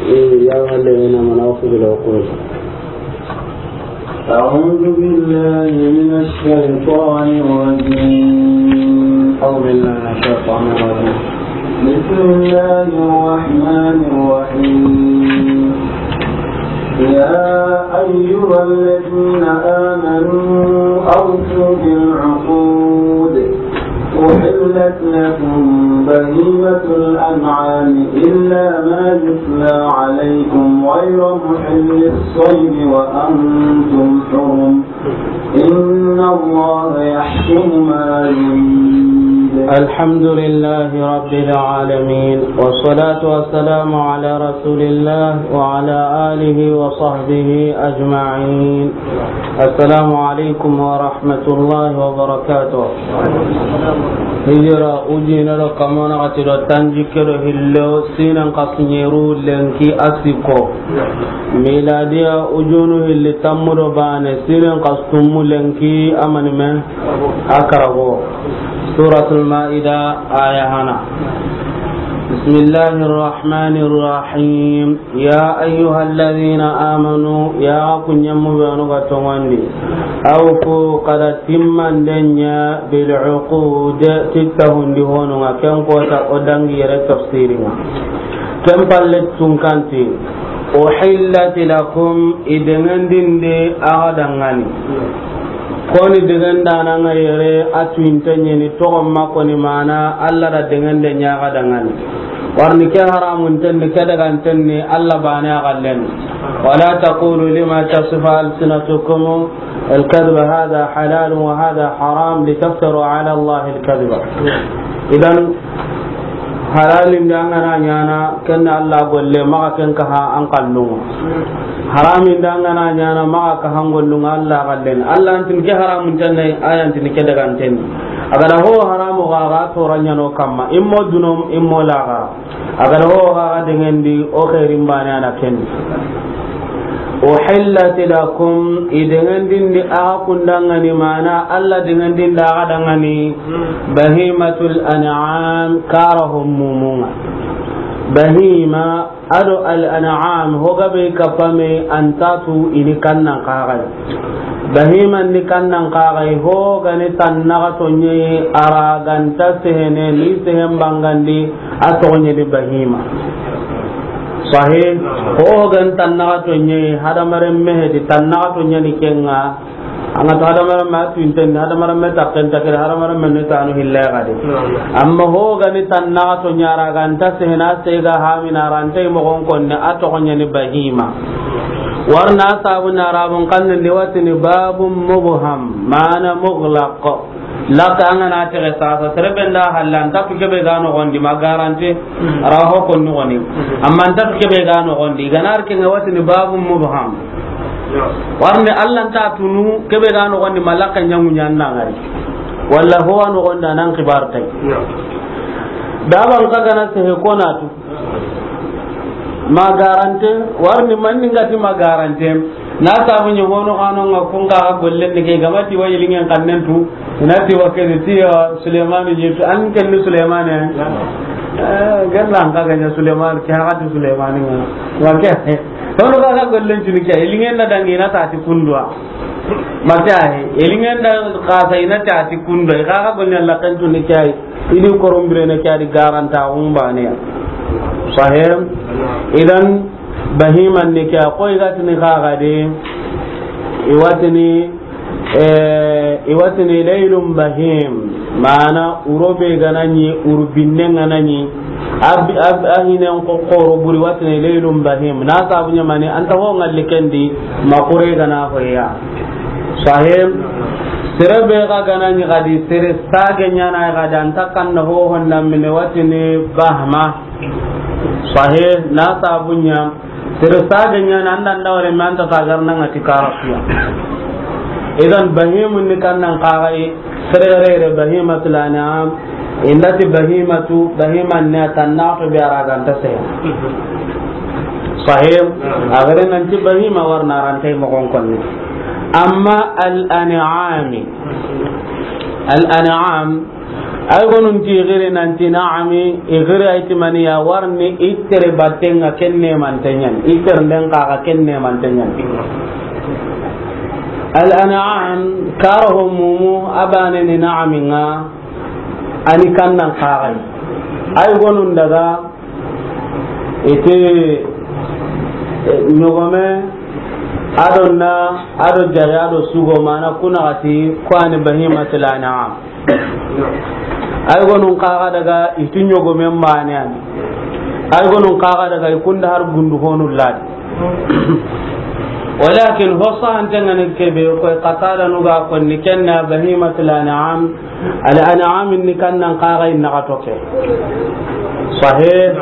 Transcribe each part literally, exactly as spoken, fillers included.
يا أيها الذين آمنوا أوفوا بالعقود. أعوذ بالله من الشيطان الرجيم. أعوذ بالله من الشيطان الرجيم. بسم الله الرحمن الرحيم. يا أيها الذين آمنوا أوفوا بالعقود. أحلت لكم بهيمة الأنعام إلا ما يتلى عليكم غير محل الصيد وأنتم حرم. إن الله يحكم ما يريد. الحمد لله رب العالمين، والصلاة والسلام على رسول الله وعلى آله وصحبه أجمعين. السلام عليكم ورحمة الله وبركاته. Hijira ujine do kamana xati do tanjikke do hillo, sinan xasuɲeru lenki a sikko. Miladiya ujunu hilli tammu do bane, sinan xasutummu lenki a manime a karago. Suratul Maida, aya hana. Bismillahir Rahmanir Rahim. يا أيها الذين آمنوا، ya ku ɲemu be anu ga toŋondi. أوفوا، xa da timmande ɲa, بالعقود، ti tahundi honu ŋa, ken kota o dangi yere tafsiri ŋa. Ken palle tunkanti, أحلت لكم، i deŋendinde a ga daŋani. Koni degendana ŋa yere, a tuwinten ɲeni, toxon ma koni mana, Alla da dengende ɲa ga daŋani. Warni ke haramunten ni, ke daganten ni, Alla bane a gallen. ولا تقولوا لما تصف ألسنتكم الكذب هذا حلال وهذا حرام لتفتروا على الله الكذب. Idan, halalin da an ga na ɲaana, ken na Alla golle, maxa ken kaha an kallun ŋa. Haramin da an ga na ɲaana, maxa kaha an gollun ŋa, Alla gallen. Alla antin ke haramunten ni, ayantin ke daganten ni. A ga da ho haramu ga, ga toraɲano kamma, immo dunom, immo laga. A ga da ho ga, ga dengendi, o xeerin bane a na ken. أحلت لكم، i dengendindi a ga kun daŋani, mana Alla dengendindi a ga daŋani, بهيمة الأنعام، kara ho mumun ŋa. Bahima, a do al an'am, ho ga be kapame, antatu i ni kannan kaxay. Bahiman ni kannan kaxay, ho ga ni tannaxato ɲeyi, a ra ga nta sehene, ni sehen bangandi, a toxo ɲeni bahima. Sahih? Ho ga ni tannaxato ɲeyi, hadamaren mehedi tannaxato ɲeni ken ŋa, an ga ta hadamaren ma tuwinten ni, hadamaren me takken ta kere, hadamaren me ni tanu hilla ya gade. Amma ho ga ni tannaxato ɲa ra ga nta sehene, sega hamina ra nta i moxon konne, a toxo ɲeni bahima. Warna sabu na Arabun xannen di watini babun mubham, mana mughlaq. Laka an ga na texe sasa, sere be nda halla, nta tu kebe ga noxondi, ma garante, a ra ho ko noxoni. Amma nta tu kebe ga noxondi, ga na ri ken ŋa watini babun mubham. Warni Alla nta tunu, kebe ga noxondi, ma laka ɲaŋu ɲa nda ŋari. Walla ho wa noxondi, a nan xibar tay. Daban xa ga na sehe ko na tu. Ma garante, warni manni ngati ma garante. Na sabu ɲi hono xano ŋa kun ga golle ni ke, ga ma ti wa yilingen xannen tu, i na ti wa ke ni ti ya Sulemani ɲi tu, an ken ni Sulemani. Eh, gella an xa ga ɲa Sulemani, ke xa ti Sulemani ŋa. Wa ke, hono xa ga gollen tu ni ke, yilingen na dangi na ta ti kunduwa. Ma ke ayi, yilingen da xa sa i na ta ti kunduwa, xa ga gollen la kan tu ni ke ayi. I di koron birene ke a di garanta xun bane ya. Sahih? Idan, bahiman ni ke a koy gatini xa ga de, i watini, eh, i watini laylun bahim, mana wuro be ga na ɲi, wuro binne ga na ɲi, a bi-, a bi-, a hinen ko xoro buri watini laylun bahim. Na sabu ɲa mani, an ta ho ŋalli ken di, ma kure ga na ho ya. Sahih. Sere be ga ga na ɲi ga di, sere sage ɲa na ga di, an ta kan na ho honda mine watini bahma. Sahih, na sabu ɲa. Sere sage ɲa na an da nda wore me an ta sagar na ŋa ti karafiya. Idan bahimun ni kannan kaxay, sere re re bahimatul an'am, i nda ti bahimatu, bahiman ni tannaxato be a ra ga nta sehe. Sahih, a gare nan ti bahima warna ra nta i moxon konne. Amma al an'ami, al an'am, Ay gonun ti i giri nanti naami, i giri ay ti mani ya warni i tere batten ŋa ken neemanten ɲa ni, i tere nden xa ga ken neemanten ɲa ni. Al an'am, karaho mumu, a baane ni naami ŋa, a ni kannan xa ga yi. Ay gonun daga i ti, eh, ɲogome, a do na, a do jare, a do sugo, mana ku na ga ti, ku ni bahimatul an'am. Ay gonun xa ga daga i ti ɲogomen baane ya ni. Ay gonun xa ga daga i kunda har gundu honu ladi. Walakin ho sahanten ŋa ni kebe ko, Qatada nu ga ko ni ken na bahimatul an'am. Al an'am ni kannan xa ga yi na ga toke. Sahih.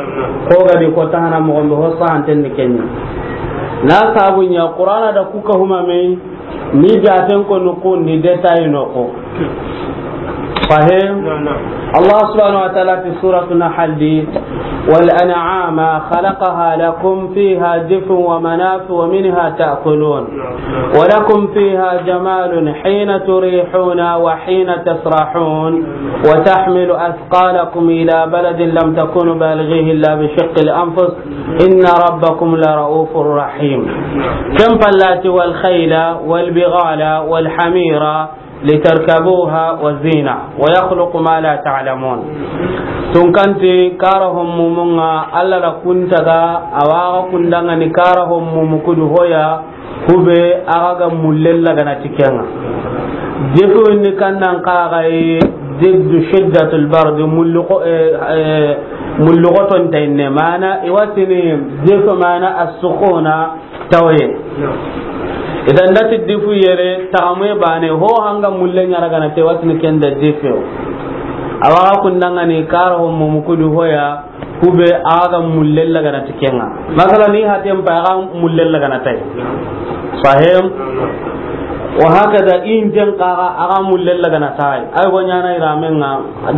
Ko ga di ko tahana mo gombe ho sahanten ni ken ɲa. Na sabu ɲa Qur'ana da ku ka huma me. Ni jaten ko nukundi détail no ko. Fahim? Na'am, na'am. Allah subhanahu wa ta'ala fi suratu Nahl di, "Wal an'ama khalaqaha lakum fiha dif'un wa manafi'u wa minha ta'kulun. Na'am, na'am. Wa lakum fiha jamalun hina turihuna wa hina tasrahun. Wa tahmilu athqalakum ila baladin lam takunu balighihi illa bi shiqqil anfus." Inna rabbakum la ra'ufur rahim. Ken pallati wal khayla wal bighala wal hamira litarkabuha wa zina wa yakhluqu ma la ta'lamun. Tunkanti kara hommumunga Allah da kuntaga awaga kundanga ni kara hommumu kudu hoya kube aga ga mullella gana tikenga. Jefu ni kannan kaga e diddu shiddatul bard mulluqo, eh, eh, mulluqo ton tayne mana iwatini jefu mana as-sukhuna tawaye. Idan dati difu yere taxamuye bane ho hanga mulle ɲara gana te watini kenda difu. Awaga kundanga ni kara hommumu kudu hoya kube aga mulle lagana tikenga. Masala ni hatem pa aga mulle lagana tay. Fahim? Wa hakada inten kaga aga mulle lagana tay. Ay go ɲana iramenga.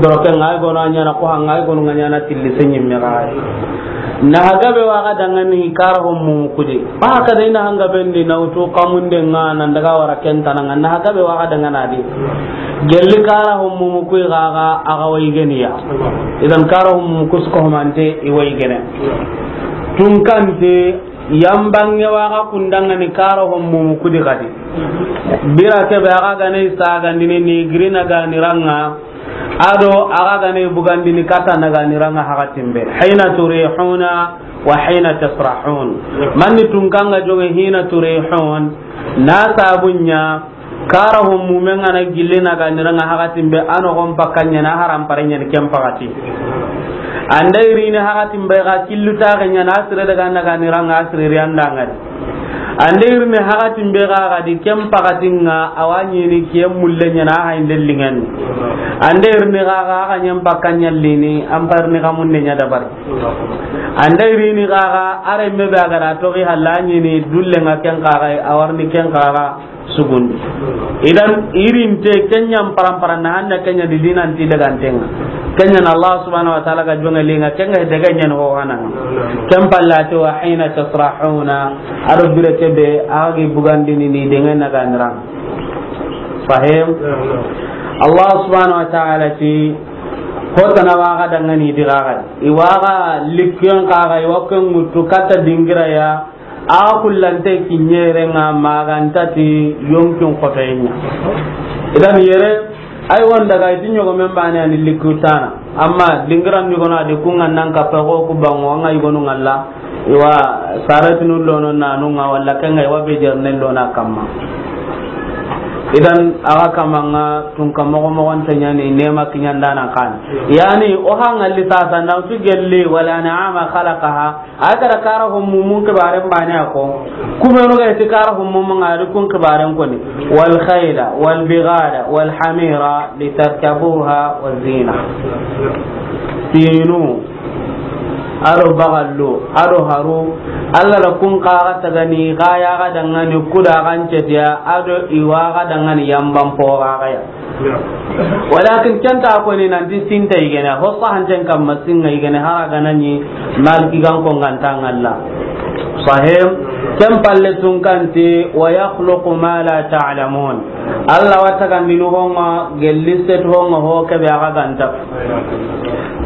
Doroke ngai gono a ɲana ko hanga ay gono nga ɲana tilli senyi me gai. Na hagabe waga dangani kara hommu kudi. Ba ka dai na hanga bendi na utu kamunde nga nan daga wara kentana nga na hagabe waga dangana di. Gelli kara hommu kudi gaga aga wai geniya. Idan kara hommu kusko homante i wai gene. Tunkante yambange waga kundangani kara hommu kudi kadi. Bira kebe aga gane sagandini ni girina ganiranga. Ado aga gane bugandini kata naganiranga hakatimbe. Hina turihuna wa hina tasrahun. Manni tunkanga jonge hina turihun. Na sabunya kara hommumenga na gille naganiranga hakatimbe ano gon pakanya na haram parenya ni kem pakati. Anda irini hakatimbe ga killu tagenya na asire daga naganiranga asire riandangani. Ande irini hakatimbe ga gadi kem pakatinga awanyini kiye mulle nyana hainde lingani. Ande irini ga ga aga nyem pakanyallini amparni kamunde nya dabar. Ande irini ga ga are mebe agara togi halanyini dulle nga ken kaga awarni ken kaga sugundi. Idan irinte kenyam parampara na handa kenya di dinan ti daga antenga. Kenya na Allah subhanahu wa ta'ala ga jonga linga kenga daga nyen ho hananga. Kem pallati wa hina tasrahuna. Ado bire kebe agi bugandini ni denga naganira. Fahim? Allah subhanahu wa ta'ala ti hotana waga dangani digaga. Iwaga likyon kaga iwakon mutu kata dingira ya. A kullante kinyere nga magantati yonkin kotoyenya. Idan yere ay won daga iti ɲogomen bane ani likutana. Amma dingiran ɲogono adi kunga nan kappa go ku bango anga yugonu ngalla. Iwa saratinu lono nanu nga walla kenga iwa be jerne lona kamma. Idan aga kamanga tunka mogo mogo ntanyani nema kinyandana kan. Yani o hangalli sasa na utu gelli wala an'ama khalaqaha. A gara kara hommumun kibaren bane a ko. Kumenu ga iti kara hommumun a di kun kibaren koni. Wal khayla wal bighala wal hamira litarkabuha wa zina. Sinu ado bagallo ado haru. Allah da kun kaga tagani ga ya ga dangani kuda gancetiya ado iwa ga dangani yamban po ga ya. Walakin kenta ko ni nanti sinta igene ho sahanten kamma singa igene hara ganani maliki gan ko nganta ngalla. Sahim. Ken palle tunkanti, "Wa yakhluqu ma la ta'lamun." Alla wa tagandini honga, gelli setu honga ho kebe a ga ganta.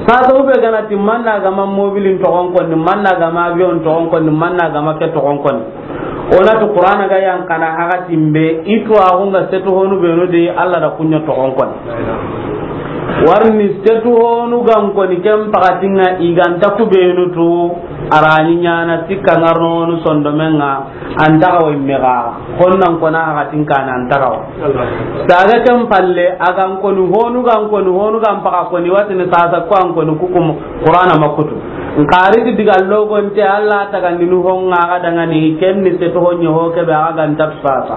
Sasa ube gana ti manna gama mobilin togon konni, manna gama avion togon konni, manna gama ke togon konni. Ona tu Qur'ana ga yan kana haga timbe, itu a hunga setu honu benu de Alla da kunyo togon konni. Warni setu honu gan koni ken pakatinga i ganta ku benu tu, arani ɲana sikka ngarno honu sondomenga, antaga wa imme gaga. Honnan kona hakatin kana antaga wa. Saga ken palle, agan koni honu gan koni honu gan paka koni watini sasa ko an koni kukum Qur'ana makutu. Nkari di diga logonte Alla tagandini honga ga dangani kenni setu honye ho kebe a ga ganta sasa.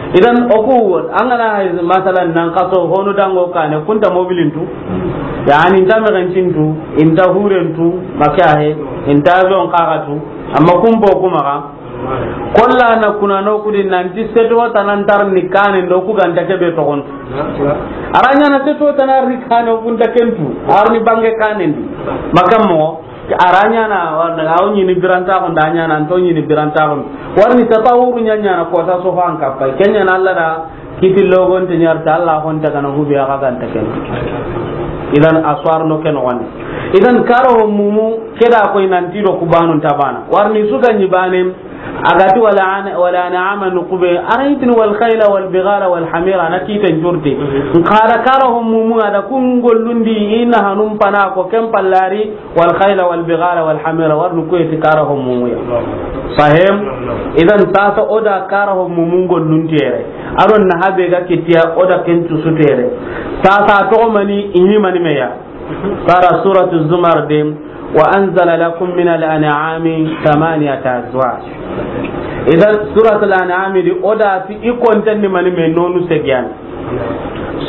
Idan oku an gana hay masalan nan kaso honu dango kane kunta mobilin tu. Yani inta megancin tu, inta huren tu, makahe, inta avion kaga tu, amma kumbo kuma ga. Kolla na kuna no kudi nanti seto tanan tar ni kane ndo ku ganta kebe togon. Aranya na seto tanar ni kane o kunta kentu, arni bange kane ndi. Makammo, aranya na, wanda ga o ɲini biranta ko ndanya na, anto ɲini biranta ko. Warni tatawuru ɲanya na ko sa so fan kappa. Kenya na Allah da kiti logonte ɲarta Allah honta kana hubi a ga ganta ken. Idan aswar no ken wani. Idan karo mumu keda ko nanti do ku banu tabana. Warni su ganyi bane, agati wala an-, wala an'ama nukube, araytini wal khayla wal bighala wal hamira, na kiten jurte. Nkara karo mumu ada kun gollundi ina hanum pana ko ken pallari, wal khayla wal bighala wal hamira, warnu kuye ti kara ho mumu ya. Sahim? Idan sasa oda kara ho mumu gollun tere. Aron na habe ga kitiya oda ken tusu tere. Sasa to mani ini mani meya. Kara suratu Zumar de, "Wa anzala lakum min al-an'ami thamaniyata azwaj." Idan suratul an'ami di oda ti ikonten ni mani me nonu segiyan.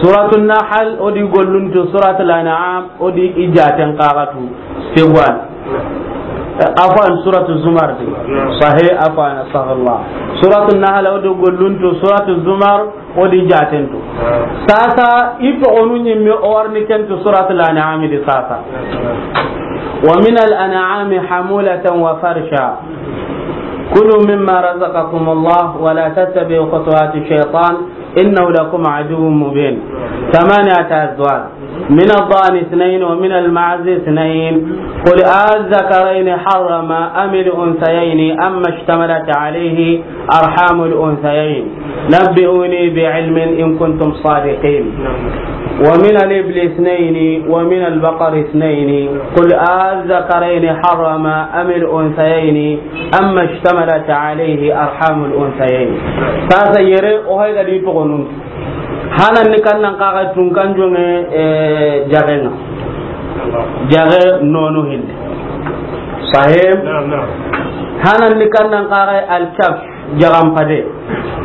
Suratul Nahl, o di golluntu Suratul An'am, o di i jaten kaxatu, seguwan. Afwan, Suratul Zumar di. Sahih, afwan, astaghfirullah. Suratul Nahl, o di golluntu Suratul Zumar, o di jatentu. Sasa, i toxonu ɲimme o warni kentu Suratul An'am di sasa. "Wa min al-an'ami hamulatan wa farsha. Kulu mimma razaqakumullah wa la tattabi'u khutuwati shaytan." إنه لكم عدو مبين. ثمانية أزواج. من الضأن اثنين ومن المعز اثنين. قل آلذكرين حرم أم الأنثيين أما اشتملت عليه أرحام الأنثيين. نبئوني بعلم إن كنتم صادقين. ومن الإبل اثنين ومن البقر اثنين. قل آلذكرين حرم أم الأنثيين أما اشتملت عليه أرحام الأنثيين. Sasa yere o hay gadi toxonun. Hanan ni kannan kaga tun kan jonge, eh, jagenga. Jage nono hille. Sahim. Naam, naam. Hanan ni kannan kaga al-kabsh, jagam pade.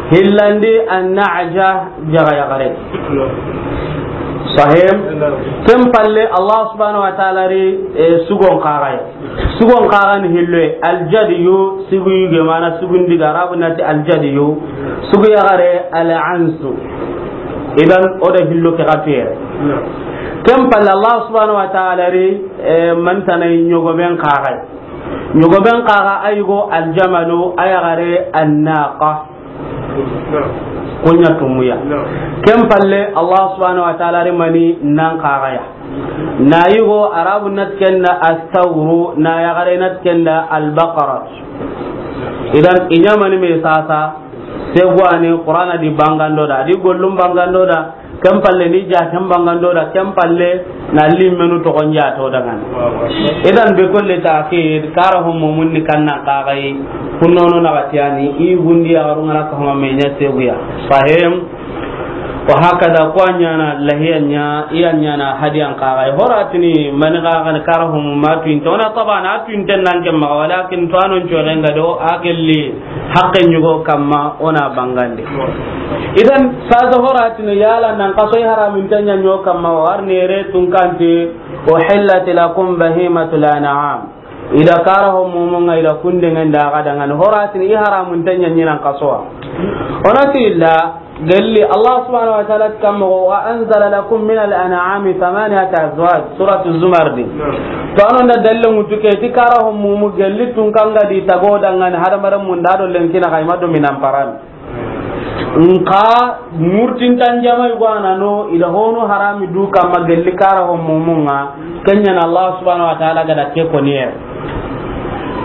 Hillandi an-na'ja, jaga yagare. Sahim. Naam. Ken palle Allah subhanahu wa ta'ala ri, eh, sugon kaga. Sugon kaxan hilloye, aljadiyu, sugu yuge, mana sugun diga, Arabu nati aljadiyu, sugu yaxare, al-ansu. Idan, o da hillo ke xa tuyere. Ken palle, Allah subhanahu wa ta'ala ri, eh, mantana ɲogoben kaxay. Ɲogoben kaxa a yigo aljamalu, a yaxare annaqa. Kunya tumuya. Ken palle, Allah subhanahu wa ta'ala ri mani nan kaxaya. Na yigo Arabu nat kenda astawru, na yaxare nat kenda albaqara. Idan, i ɲamani me sasa, seguwani Qur'ana di bangando da, di gollum bangando da, ken palle ni jaten bangando da, ken palle na limmenu toxon jato dangani. Idan, be kolle ta'kid, kara ho mumun ni kannan kaxay, kunnono na gatiyani, i gundi ya garungana ka homa me ɲa seguya. Sahim. Wa hakada, ko a ɲana lahiya ɲa, i a ɲana hadiyan kaxay. Horatini mani kaxan kara ho mumatu inte. Ona tabana a tu inte nan ke maxa, walakin to anon coxen ga do, a gelli haqqe ɲugo kamma ona bangandi. Idan, sasa horatini yala nan kaso i haramun tanya ɲo kamma, warni ere tun kanti, "Uhillat lakum bahimatul an'am." Ida kara ho mumunga ida kundengen da ga dangani. Horatini i haramun tanya ɲinan kasowa. Ona ti illa, Gelli Allah subhanahu wa ta'ala ti kamma, "Wa anzala lakum min al-an'ami thamaniyata azwaj," Suratu Zumar di. To, a na da dalilin ŋutu ke ti kara ho mumu gelli tun kanga di tago dangani hadamaren mun da do lenki na kayma do minan paran. Nka murtintan jama yugo a na no, i da hono harami du kamma gelli kara ho mumu ŋa, ken ɲa na Allah subhanahu wa ta'ala ga da ke koni ye.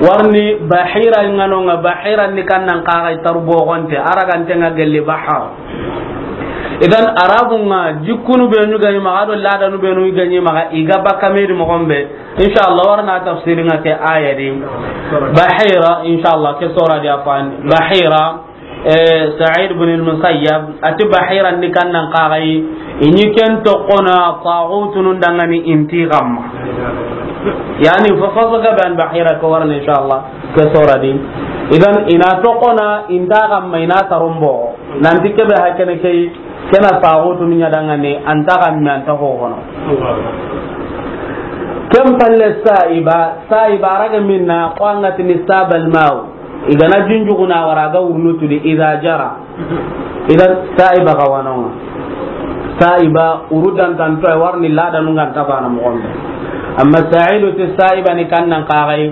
Warni bahira ŋa no ŋa, bahira ni kannan kaga i taru bogonte, a ragante ŋa gelli bahar. Idan, Arabu ŋa, jikkunu benu ga ɲi maxa, do ladanu benu ga ɲi maxa, i ga bakka me di moxon be. Inshallah, warna tafsiri ŋa ke aya di. Bahira, inshallah, ke sora di afan. Bahira, eh, Sa'id bin al-Musayyab, ati bahira ni kannan kagai, i ɲi ken toxo na taxutunun dangani inti gamma. Yani, fa fasa ga ban bahira ko warna, inshallah, ke sora di. Idan, i na toxo na inta gamma, i na tarumbo. Nanti kebe hakene kei, kena taxutunu ɲa dangani, anta gamma, anta ho hono. Ken palle sa'iba, sa'iba a raga minna, ko an ga tini sabal maw. I ga na junjuguna wara ga wurnu tudi, idha jara. Idan sa'iba ga wano ŋa. Sa'iba uru dantanto ay warni ladanu ŋa nta bana moxon be. Amma sa'idu ti sa'iba ni kannan kagai.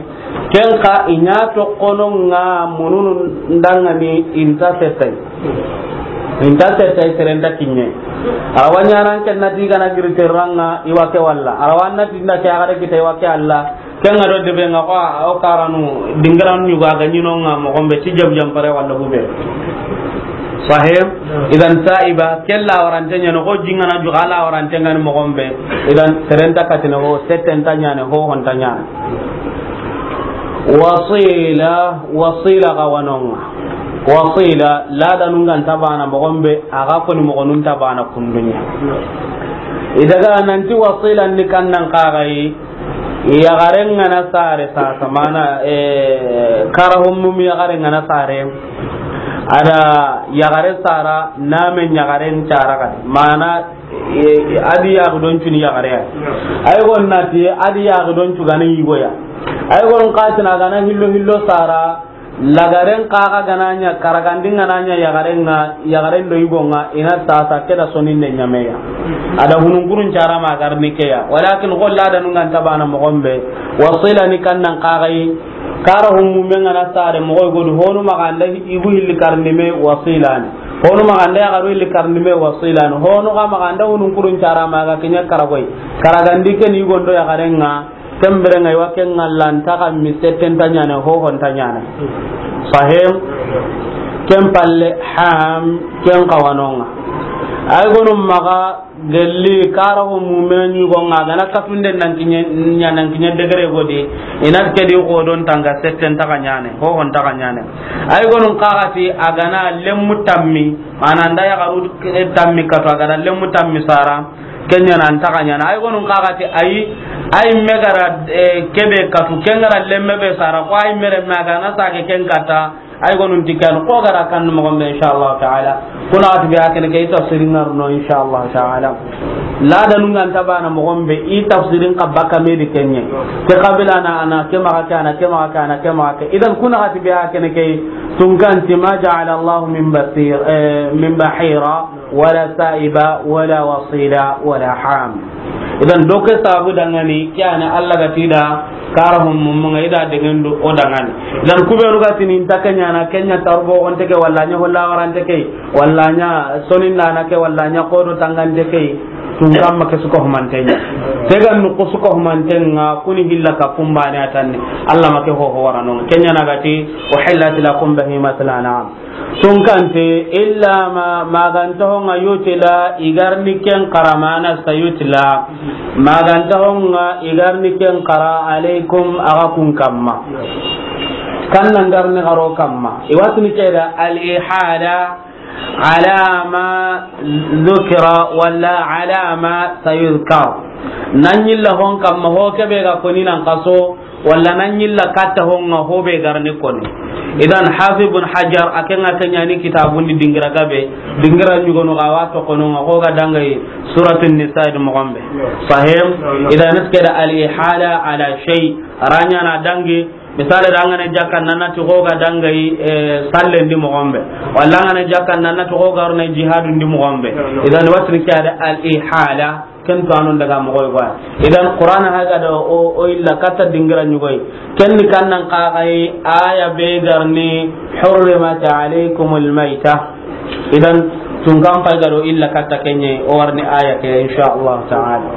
Ken xa i ɲa toxono ŋa mununu ndangani inta setay. Inta setay serenta kiɲe. Arawa ɲanan ken nati ga na giri terranga i wa ke walla. Arawa nati nda ke a ga da kita i wa ke Allah. Ken ŋa do debe ŋa ko, a, o karanu, dingiranu ɲugo a ga ɲi no ŋa moxon be, ti jam jam pare walla bube. Sahib, idan sa'iba, ke la warante ɲa no, ko jingana juga la warante ŋa ni moxon be. Idan serenta katine ho, settenta ɲa ne, ho honta ɲa ne. Wasila, wasila ga wano ŋa. Wasila, ladanu ŋa nta bana moxon be, a ga koni moxonun nta bana kunduɲa. I daga nanti wasila ni kannan kagai, Yaxaren ŋa na sare sasa, mana, eh, kara ho mumu yaxaren ŋa na sare. A da yaxare sara, na me yaxaren cara kadi. Mana, eh, a di yaxi don cuni yaxare ya. Ay gon nati, a di yaxi don cugani yigo ya. Ay gon katina gana hillo hillo sara, Lagaren kaga ga na ɲa, karagandi ga na ɲa yaxaren ŋa, yaxaren do yigo ŋa, i na sasa ke da soninde ɲameya. A da hununkurun cara ma garni ke ya. Walakin xo ladanu ŋa nta bana moxon be. Wasila ni kannan kagai, kara ho mumu ŋa na sare moxo godu, honu maxa nda yigu hilli karni me wasila ni. Honu maxa nda yaxaru hilli karni me wasila ni. Honu ga maxa nda hununkurun cara ma ga ke ɲa karagoy. Karagandi ke ni yigo ndo yaxaren ŋa, Ken bire ŋa i wa ken ŋa lanta xa mi setten ta ɲaana, ho hon ta ɲaana. Sahim, ken palle ham, ken xawanon ŋa. Ay gonu maxa gelli kara ho mumenu ɲi go ŋa, a ga na katunde nan kiɲe ɲa, nan kiɲe degere godi, i na ke di xo don tanga setten ta xa ɲaana, ho hon ta xa ɲaana. Ay gonu xa ga ti a ga na lemmu tammi, mana nda yaxaru tammi katu, a ga na lemmu tammi sara, Ken ɲa na an ta xa ɲaana. Ay gonu xa ga ti ay, ay me ga ra, eh, kebe katu, ken ga ra lemme be sara, ko ay me re me a ga na sage ken kata, ay gonu ti ken, ko ga ra kan moxo be, inshallah ta'ala. Kuna ati be a kene ke i tafsirin ŋa ro no, inshallah ta'ala. Ladanu ŋa nta bana moxo be, i tafsirin xa baka me di ken ɲa. Ke qabila na ana, ke maxa ke ana, ke maxa ke ana, ke maxa ke. Idan kuna ati be a kene ke, tunkan ti ma ja'ala Allahu min basir, eh, min bahira. Wala sa'iba, wala wasila, wala ham. Idan, do ke sabu dangani, ke ya ni Alla ga ti da, kara hum mum ŋa i da degendu o dangani. Idan, ku be nu ga ti ni nta ke ɲaana, ke ɲa tarbo on te ke, wala ɲa holla warante ke, wala ɲa sonin na ke, wala ɲa kodo tangante ke, tun kamma ke su ko humante ɲa. Te ga nu ko su ko humante ŋa, kuni hilla ka pumbane atanni. Alla ma ke ho ho warano. Ke ɲa na ga ti, uhillat lakum bahimatul an'am. Tunkante, illa ma, maganta honga yutila, igarni ken karamana sa yutila. Maganta honga igarni ken kara alaikum aga kun kamma. Kanna ngarni garo kamma. Iwatuni keda al-ihada ala ma dhukira wala ala ma sayudhkar. Nanyilla hon kamma ho kebe ga koni nan kaso. Walla na ɲilla katta honga ho be garni koni. Idan Hafiz ibn Hajar a ke ŋa ke ɲa ni kitabun di dingira gabe, dingira ɲugonu ga wa toxono ŋa ho ga dangayi Suratun Nisa di moxo be. Sahim, idan iske da al-ihala ala shay, ra ɲa na dangi, Misali da, an ga na jakka, nan na ti xo ga dangayi, eh, sallen di moxo be. Walla an ga na jakka, nan na ti xo ga ro na jihadun di moxo be. Idan, watini ke ya da al-ihala, ken to anun daga moxo yi. Idan, Qur'ana ha ga da o, o illa katta dingira ɲugoyi. Ken ni kan nan xaxayi aya be ga ri ni, "Hurrimat alaykumul mayta." Idan, tun kan pay ga do illa katta kenye, o wa ri ni aya ke, insha Allah ta'ala.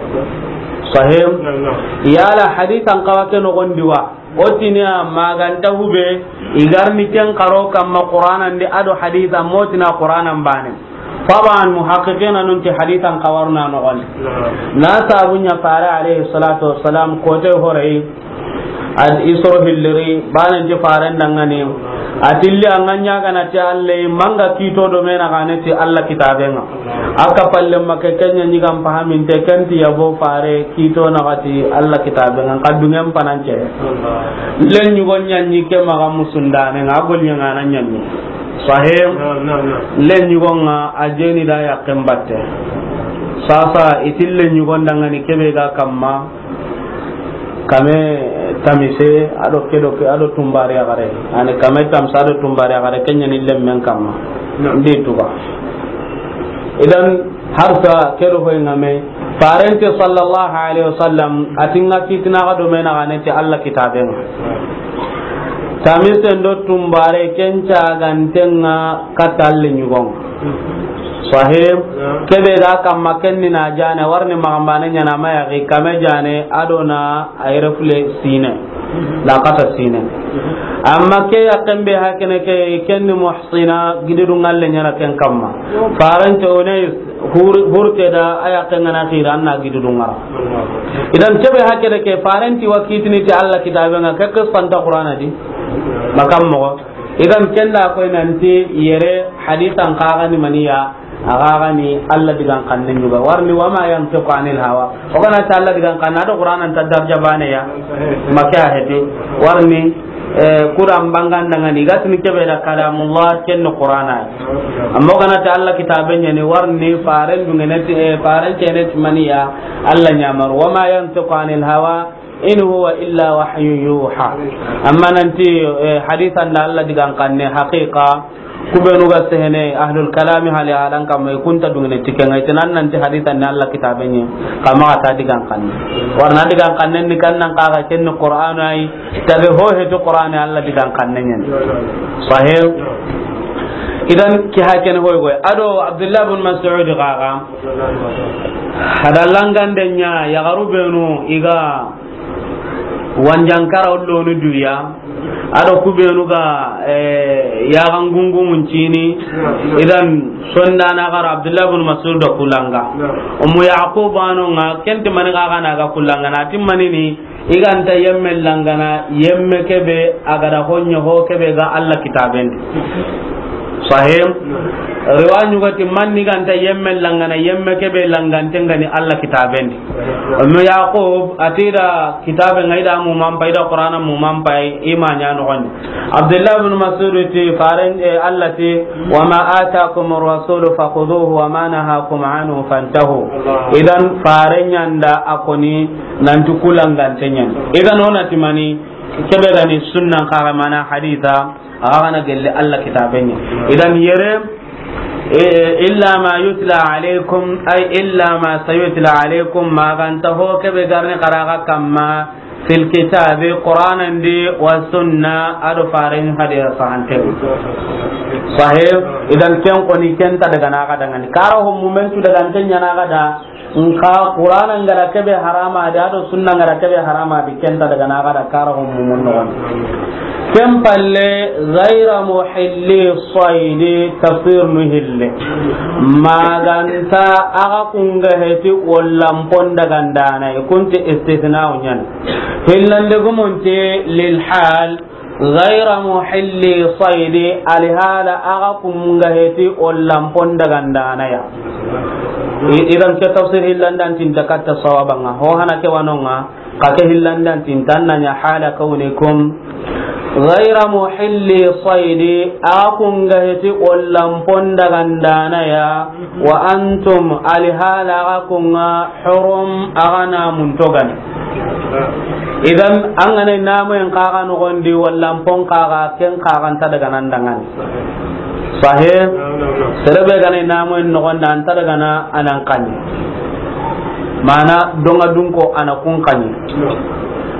Sahih? Naam, naam. Yala hadithan xawa ke noxon di wa? O tini a maganta hube, i ga ri ni ken xaro kamma Qur'anan di, a do haditha, mo tini a Qur'anan bane. Taban, muhaqqiqina nun ti hadithan xawa ri na noxon di. Naam. Na sabu ɲa fare alayhi salatu wassalam, ko te horayi, ad isro hilliri, banan ti faren dangani. A tilli an ga ɲa ga na ti Allah, manga kito do me na ga ne ti Allah kitaben ŋa. A ka palle ma ke kenya ɲi gam pahamin te, ken ti yabo fare kito na ga ti Allah kitaben ŋa, ka dungen panance. Len ɲugo ɲa ɲi ke maxa musundane ŋa, gol ɲa ŋa na ɲa ɲi. Sahih? Naam, naam, naam. Len ɲugo ŋa a jeni da yaqqen batte. Sasa i ti len ɲugo dangani kebe ga kamma, kame tamise, a do ke do ke, a do tumbare a gare. Ani kame tamise, a do tumbare a gare, kenya ni lemmen kamma. Naam. Ndi tuga. Idan, harsa ke do hoy ngame, farente sallallahu alaihi wasallam, a ti ŋa kitina ga do me na ga ne ti Allah kitaben ŋa. Tamisen do tumbare ken caganten ŋa katta len ɲugo ŋa. Sahih. Naam. Kebe ga kamma ken ni na jane, wa ri ni maxa bane ɲa na ma yaxi kame jane, a do na a yere fule sine. La kata sine. Amma ke yaqqen be hakene ke, ken ni muhsina, gididu ŋalle ɲa na ken kamma. Farante Unais, hur-, hurte da a yaqqen ŋa na xira, an na gididu ŋa ra. Idan kebe hakene ke, farenti wa kitini ti Allah kitaben ŋa, ke qissanta Qur'ana di. Makam moxo. Idan ken da koy nanti yere hadithan xaxani maniya, a xaxani Allah digan xanne ɲuga. Wa ri ni, "Wa ma yantiqu anil hawa." O ga na ti Allah digan xanne, a do Qur'anan ta darja bane ya. Make a heti. Wa ri ni, eh, Qur'an bangandangani, i ga tini kebe da kalamullah, ken ni Qur'ana. Amma o ga na ti Allah kitaben ɲa ni, wa ri ni faren dungene ti, eh, faren kene ti maniya, Allah ɲamar. "Wa ma yantiqu anil hawa, in huwa illa wahyun yuha." Amma nanti, eh, hadithan da Allah digan xanne, haqiqa, ku benu ga sehene, ahlul kalami hali adan kamma, i kunta dungene ti ken ŋa, i ti nan nanti hadithan da Allah kitaben ɲa, kama ta digan xanne. Wa ri na digan xanne ni kan nan xaxa ken ni Qur'an ay, tabe ho he to Qur'an Allah digan xanne ɲa ni. Sahih. Idan ki hakene hoy goy. A do Abdullah bin Mas'ud xaxa. Hada langande ɲa, yaxaru benu i ga wanjankara o lonu duya, a do ku benu ga, eh, yaxan gungumun cini, idan sondana xara Abdullah bin Mas'ud da ku langa. Ummu Yaqub ano ŋa, ken ti mani xaxa na ga ku langa, na ti mani ni, i ga nta yemme langana, yemme kebe a ga da ho ɲa ho kebe ga Allah kitaben di. Sahih. Riwa ɲuga ti man ni ga nta yemme langana, yemme kebe langanten ga ni Allah kitaben di. Ummu Yaqub a ti da kitabe ŋa i da mu man pay, i da Qur'ana mu man pay, i ma ɲa noxon di. Abdullah bin Mas'ud ti faren, eh, Allah ti, "Wa ma atakum ar-rasulu fakhuduhu wa ma nahakum anhu fantahu." Idan faren ɲa nda a ko ni nanti ku langanten ɲa ni. Idan o na ti mani, kebe ga ni sunnan xaxa mana haditha, a ga na gelle Allah kitaben ɲa. Idan yere, eh, illa ma yutla alaykum, ay illa ma sayutla alaykum, maganta ho kebe ga ri ni xara ga kamma, fil kitabi, Qur'anan di, wa sunna, a do faren hadisa sahante. Sahih. Idan ken ko ni ken ta daga na ga dangani. Kara ho mumen tu daga ken ɲa na ga da. Nka Qur'ana ngara kebe harama di, a do sunna ngara kebe harama di, ken ta daga na ga da kara ho mumun no. Ken palle, ghayra muhilli saydi, tafsir nu hille. Maganta a ga kunga heti wallan pon daga ndana, i kunti istithna unyan. Hillande gumunti lil hal, ghayra muhilli saydi, alihala a ga kunga heti wallan pon daga ndana ya. I-, idan ke tafsir hillandan tinta katta sawabanga. Ho hana ke wanonga, ka ke hillandan tinta nanya hala kawnikum ghayra muhilli saydi, a kunga heti wallan pon daga ndana ya, wa antum, alihala a ga kunga, hurum, a ga na muntogani. Idan, an ga na i namoyen kaga noxondi, walla an pon kaga, ken kaga nta daga nan dangani. Sahe? Sere be ga na i namoyen noxondi, an ta daga na a nan kani. Mana, donga dunko a na kun kani.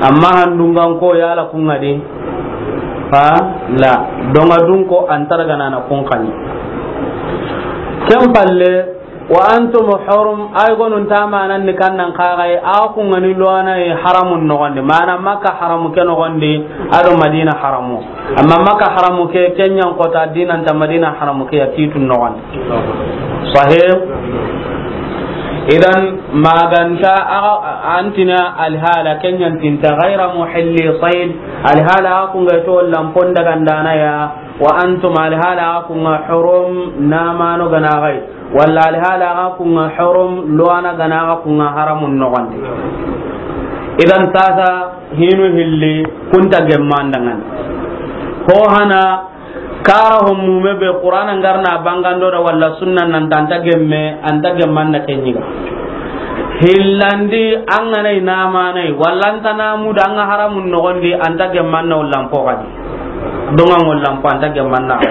Amma handungan ko yala kun ŋa di. Ha? La. Donga dunko an ta daga na a na kun kani. Ken palle, wa antum hurum, ay gonun tamanan ni kannan kagai, a kun ŋa ni loana yi haramun noxondi. Mana Makka haramu ke noxondi, ado Madina haramu. Amma Makka haramu ke, ken ɲan kota dinan ta Madina haramu ke ya kitun noxondi. Sahih? Idan, maganta a-, antina alhala ken ɲan tinta ghayra muhilli sayd, alhala a kun ga to lampon daga ndana ya, wa antum alhala a kun ga hurum namano gana gai. Walla alhala ga kun ŋa hurum, loana gana ga kun ŋa haramun noxondi. Idan sasa hinu hilli kunta gemma ndangani. Ho hana kara ho mume be Qur'ana ngarna bangando da walla sunna nan tanta gemme, anta gemman na kenyiga. Hillandi an ga na i namanai, walla anta namu da an ga haramun noxondi, anta gemman na ullan po gadi. Donga ngollan po anta gemman na.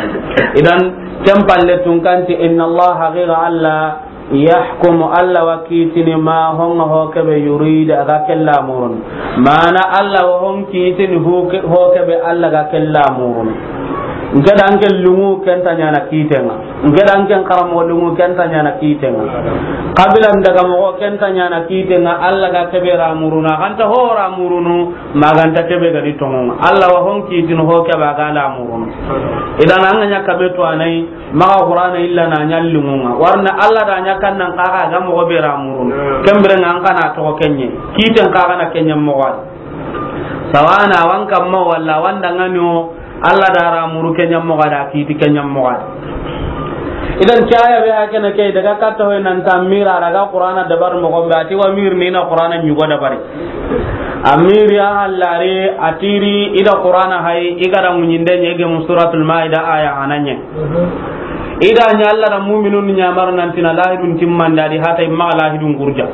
Idan, ken palle tun kanti, inna Allah, haqiqa Allah, yahkumu, Allah wa kitini ma honga ho kebe yurid, a ga kella murun. Mana Allah wa hon kitini ho ke-, ho kebe Allah ga kella murun. Nke da nke lungu kenta nyana kitenga. Nke da nke karamo lungu kenta nyana kitenga. Kabila ndaga mo kenta nyana kitenga, Allah ga kebe ra muruna. Ganta ho ra murunu, maganta kebe ga di tongonga. Allah wa hon kitini ho kebe a ga la murunu. Idan an ga ɲa kabe to anai, maga Qur'ana illa na ɲallingunga. Warna Allah da ɲa kannan kaga ga mogo be ra murun. Kembere nga an kana to kenye. Kiten kaga na kenya mogo. Sawana wan kamma walla wanda ngano Allah da ra muru kenya mogo da kiti kenya mogo. Idan kaya be hakena ke daga katta hoy nan ta mira daga Qur'ana dabar mogo be ati wa mir ni na Qur'ana nyugo dabari. Amiri a hallari, atiri, ida Qur'ana hay, igara munyinde nyege mu Suratul Maida aya hananye. Ida nya Allah da mu'minun nyamar nan tina lahidun timmanda di hata imma lahidun gurja.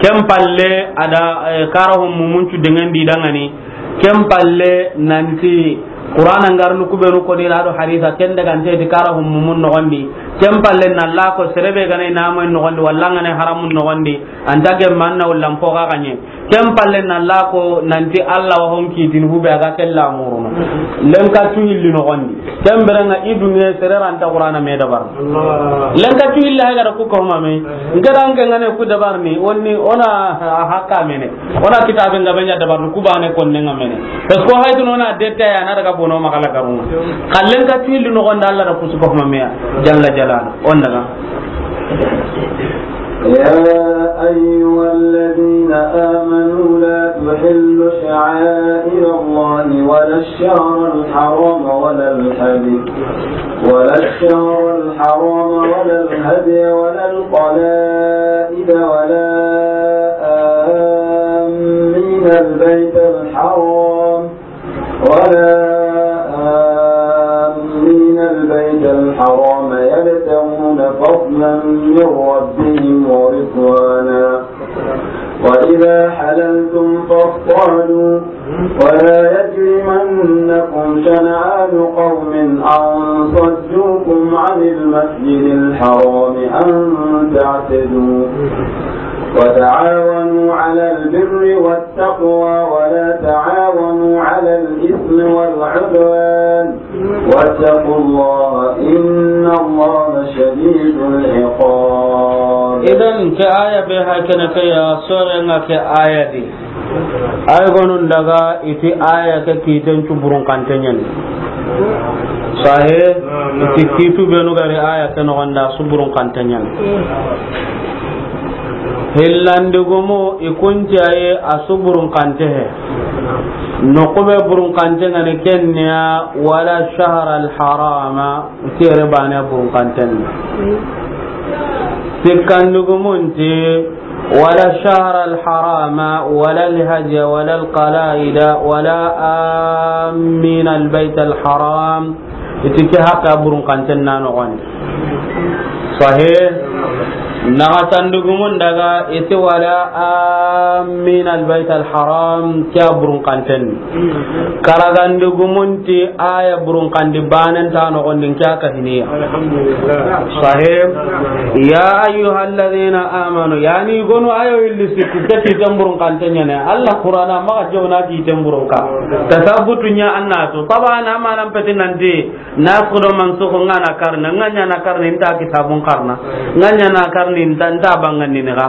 Ken palle ada, eh, kara hon mumuncu dengan di dangani. Ken palle nanti Qur'ana ngarnu kubenu ko ni rado hadisa ken daga nte di kara hon mumun nogondi. Ken palle na la ko serebe gane namoy nogondi, walla ngane haramun nogondi. Anta gemma anna wallan poga ganye. Ken palle na la ko nanti Allah wa hon kitini hube a ga kella muruno. Lenka tu hilli nogondi. Ken beranga i duniya sere ranta Qur'ana me dabar. Allah. Lenka tu hilli hay gara ku ko ma me. Ngara nge ngane ku dabar ni, onni ona hakka mene. Ona kitabe nga benya dabar ku bane konne nga mene. Parce que hay tun ona deta ya na daga bono makala garunga. Kallen ka tu hilli nogonda Allah da ku su ko ma me ya. Jalla jalal. On daga. يا أيها الذين آمنوا لا تحلوا شعائر الله ولا الشهر الحرام ولا الهدي، ولا الشهر الحرام ولا الهدي ولا القلائد ولا آمين البيت الحرام ولا آمين البيت الحرام يبتغون فضلا من ربهم ورضوانا، وإذا حللتم فاصطادوا، ولا يجرمنكم شنآن قوم أن صدوكم عن المسجد الحرام أن تعتدوا، وتعاونوا على البر والتقوى ولا تعاونوا على الإثم والعدوان، واتقوا الله إن الله شديد العقاب. Idan ke aya be hakene ke ya sore nga ke aya di. Ay gonun daga iti aya ke kiten cuburun kantenyen. Sahe, iti kitu benu gari aya ke no ganda suburun kantenyen. Hillandi gumu ikunti aye a su burun kante he. Nokube burun kante ngani kenya wala shahra al harama, tere bane burun kanten. Sikkandi gumunti wala shahra al harama wala al hadiya wala al qalaida wala amin al bayt al haram. Iti ke haqqa burun kanten na nogondi. Sahih. Naxatandugumun daga i ti wala amin albayt alharam, ke a burunkanten. Karagandugumun ti a ya burunkandi banen ta noxondin, ke a kahiniya. Alhamdulillah. Sahih. Ya ayyuhalladhina amanu, yani gonu ayo illi sikku ke ti tan burunkanten ya ne. Allah Qur'ana maxa jawna ti tan burunka. Tasabbutu nya annatu. Taban amanan petinandi. Nasikh do mansukh nga na karna, nga ɲa na karna, inta kitabun karna, nga ɲa na karna, inta, inta bangandi ni ga.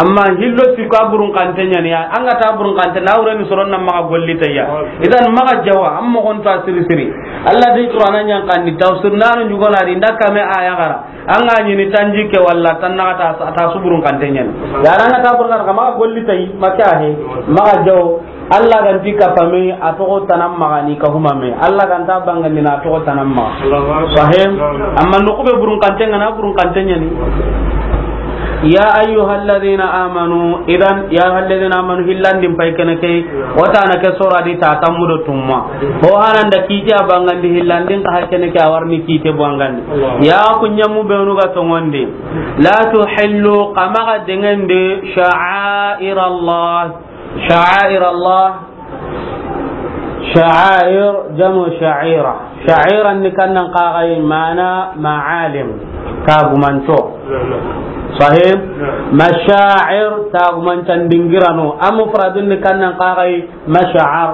Amma hillo sikku a burunkanten ya ni ya, an ga ta burunkanten na wure ni soron na maxa golli ta ya. Idan maxa jawa, an moxon ta siri siri. Allah di Qur'ana ɲan kandi, tafsir nanu ɲugona di, nda kame aya gara. An ga ɲini tanji ke walla tan na ta, ta su burunkanten ya ni. Ya an ga ta burunkan ka maxa golli ta yi, maxa he, maxa jawo. Allah ganti kapame a toxo tanan maxa ni kahumame. Allah ganta bangandi na toxo tanan maxa. Allahu Akbar. Sahih. Amma noxu be burunkanten ga na burunkanten ya ni. Ya ayyuhalladhina amanu, idan, ya ayyuhalladhina amanu, hillandin pay kene ke, wata na ke sora di ta tammu do tumma. Ho hanan da kiti a bangandi hillandin ka hakene ke a warni kite bangandi. Allah. Ya ku ɲamu be nu ga tongonde. La tuhillu, xa maxa dengende sha'air Allah. Sha'air Allah. Sha'air, jamu sha'ira. Sha'ira ni kannan kagai mana ma'alim. Tagumanto. Sahih? Masha'ir, tagumantan dingirano. A mufradun ni kannan kagai masha'ar.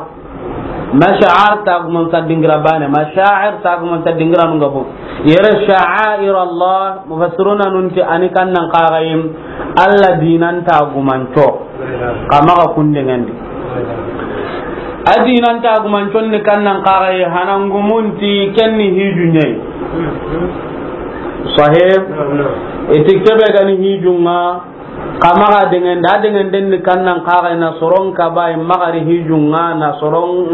Masha'ar, tagumantan dingira bane. Masha'ir, tagumantan dingirano ngabo. Yere sha'air Allah, mufassiruna nunti ani kannan kagayim, Allah dinan tagumanco. Xa maxa kundengendi. A dinan tagumancon ni kannan kagaye, hanangumunti kenni hiju ɲayi. Sahih? Iti kebe gani hijunga, Xa maxa dengende, a dengenden ni kannan kaxa i na soron kaba, i maxa ri hijunga, na soron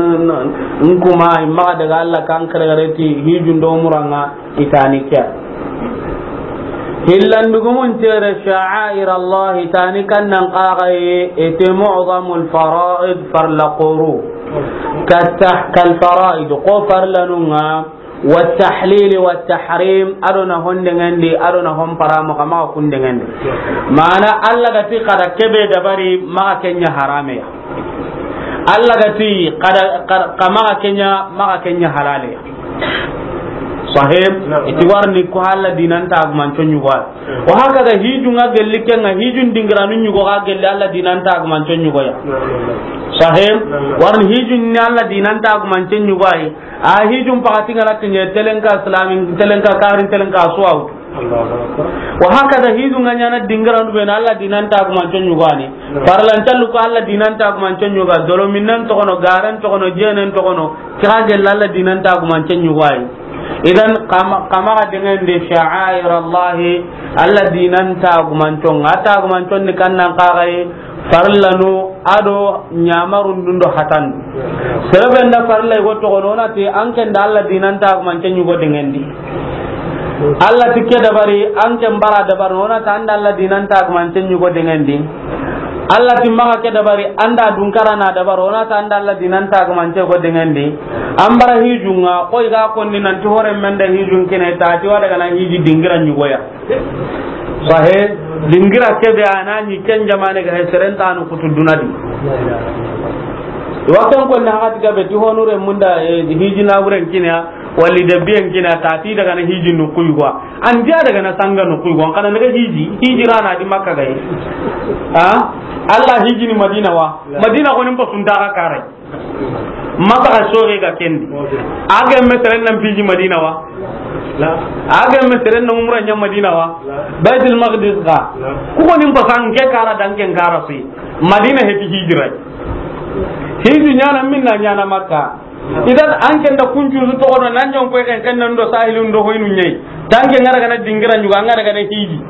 nkuma, i maxa daga Allah kan keregereti hijun do muranga, i tani kiya. Hillandugumun tere sha'air Allah, i tani kannan kaxa ye, ete mu'zamul fara'id, farla qoru. Kal fara'id, ko farlanunga, والتحليل والتحريم, ado na hondengendi, ado na honparamo, xa maxa kundengendi. Mana Allah gati kada kebe dabari, maxa kenya harameya. Allah gati kada, kada, xa maxa kenya, maxa kenya halaleya. Sahih? Iti warni ko Allah dinan tagumanco ɲugo. Wa hakaza hijunga gelli kenga, hijun dingiranu ɲugo ga gelli Allah dinan tagumanco ɲugoya. Sahih? Warni hijun ni Allah dinan tagumanco ɲugoyi. A hijun pakati ngana kinye telenka islamin, telenka karin, telenka suwawtu. Wa hakaza hijun ga ɲana dingirandu be na Allah dinan tagumanco ɲugani. Farlan callu ko Allah dinan tagumanco ɲuga, dolo minnan tokono, garan tokono, jenen tokono, kira gella Allah dinan tagumanco ɲugayi. Idan xa maxa, xa maxa dengende sha'air Allah, Allah dinan tagumanco nga, tagumanco ni kannan kaxaye, farlanu ado ɲamarundun do hatan. Sereben da farla go toxono, wona ti an ken da Allah dinan tagumance ɲugo dengendi. Allah ti ke dabari, an ken bara dabari, wona ta an da Allah dinan tagumance ɲugo dengendi. Allah ti maxa ke dabari, an da dunkara na dabari, wona ta an da Allah dinan tagumance go dengendi. An bara hijunga, koy ga konni nan ti hore men da hijun kine, ta ti wa daga na hiji dingira ɲugoya. Sahe, dingira kebe a na ɲi ken jamane ga he, seren ta nu kutu duna di. Wa ken ko na hati gabe ti honure munda, eh, hiji na buren kinya, wali de bien kinya, ta ti daga na hiji nu kuy kwa. An dia daga na sanga nu kuy kwa, kana daga hiji, hiji rana di Makka ga yi. Ha? Allah hiji ni Madina wa. Madina ko nim pa sunta ka kare. Maka ga soge ga kendi. A ga me seren nan piji Madina wa? A ga me seren nan umra ɲa Madina wa? Baitul Maqdis ga. Ku ko nim pasan ke kara dan ken kara fi. Madina he ti hijira. Hiji ɲana minna ɲana Makka. Idan an ken da kunju su toxono nan jon ko ken ken nan do sahilun do hoynu ɲai. Tanke ngara gana dingira ɲuga, ngara gana hiji.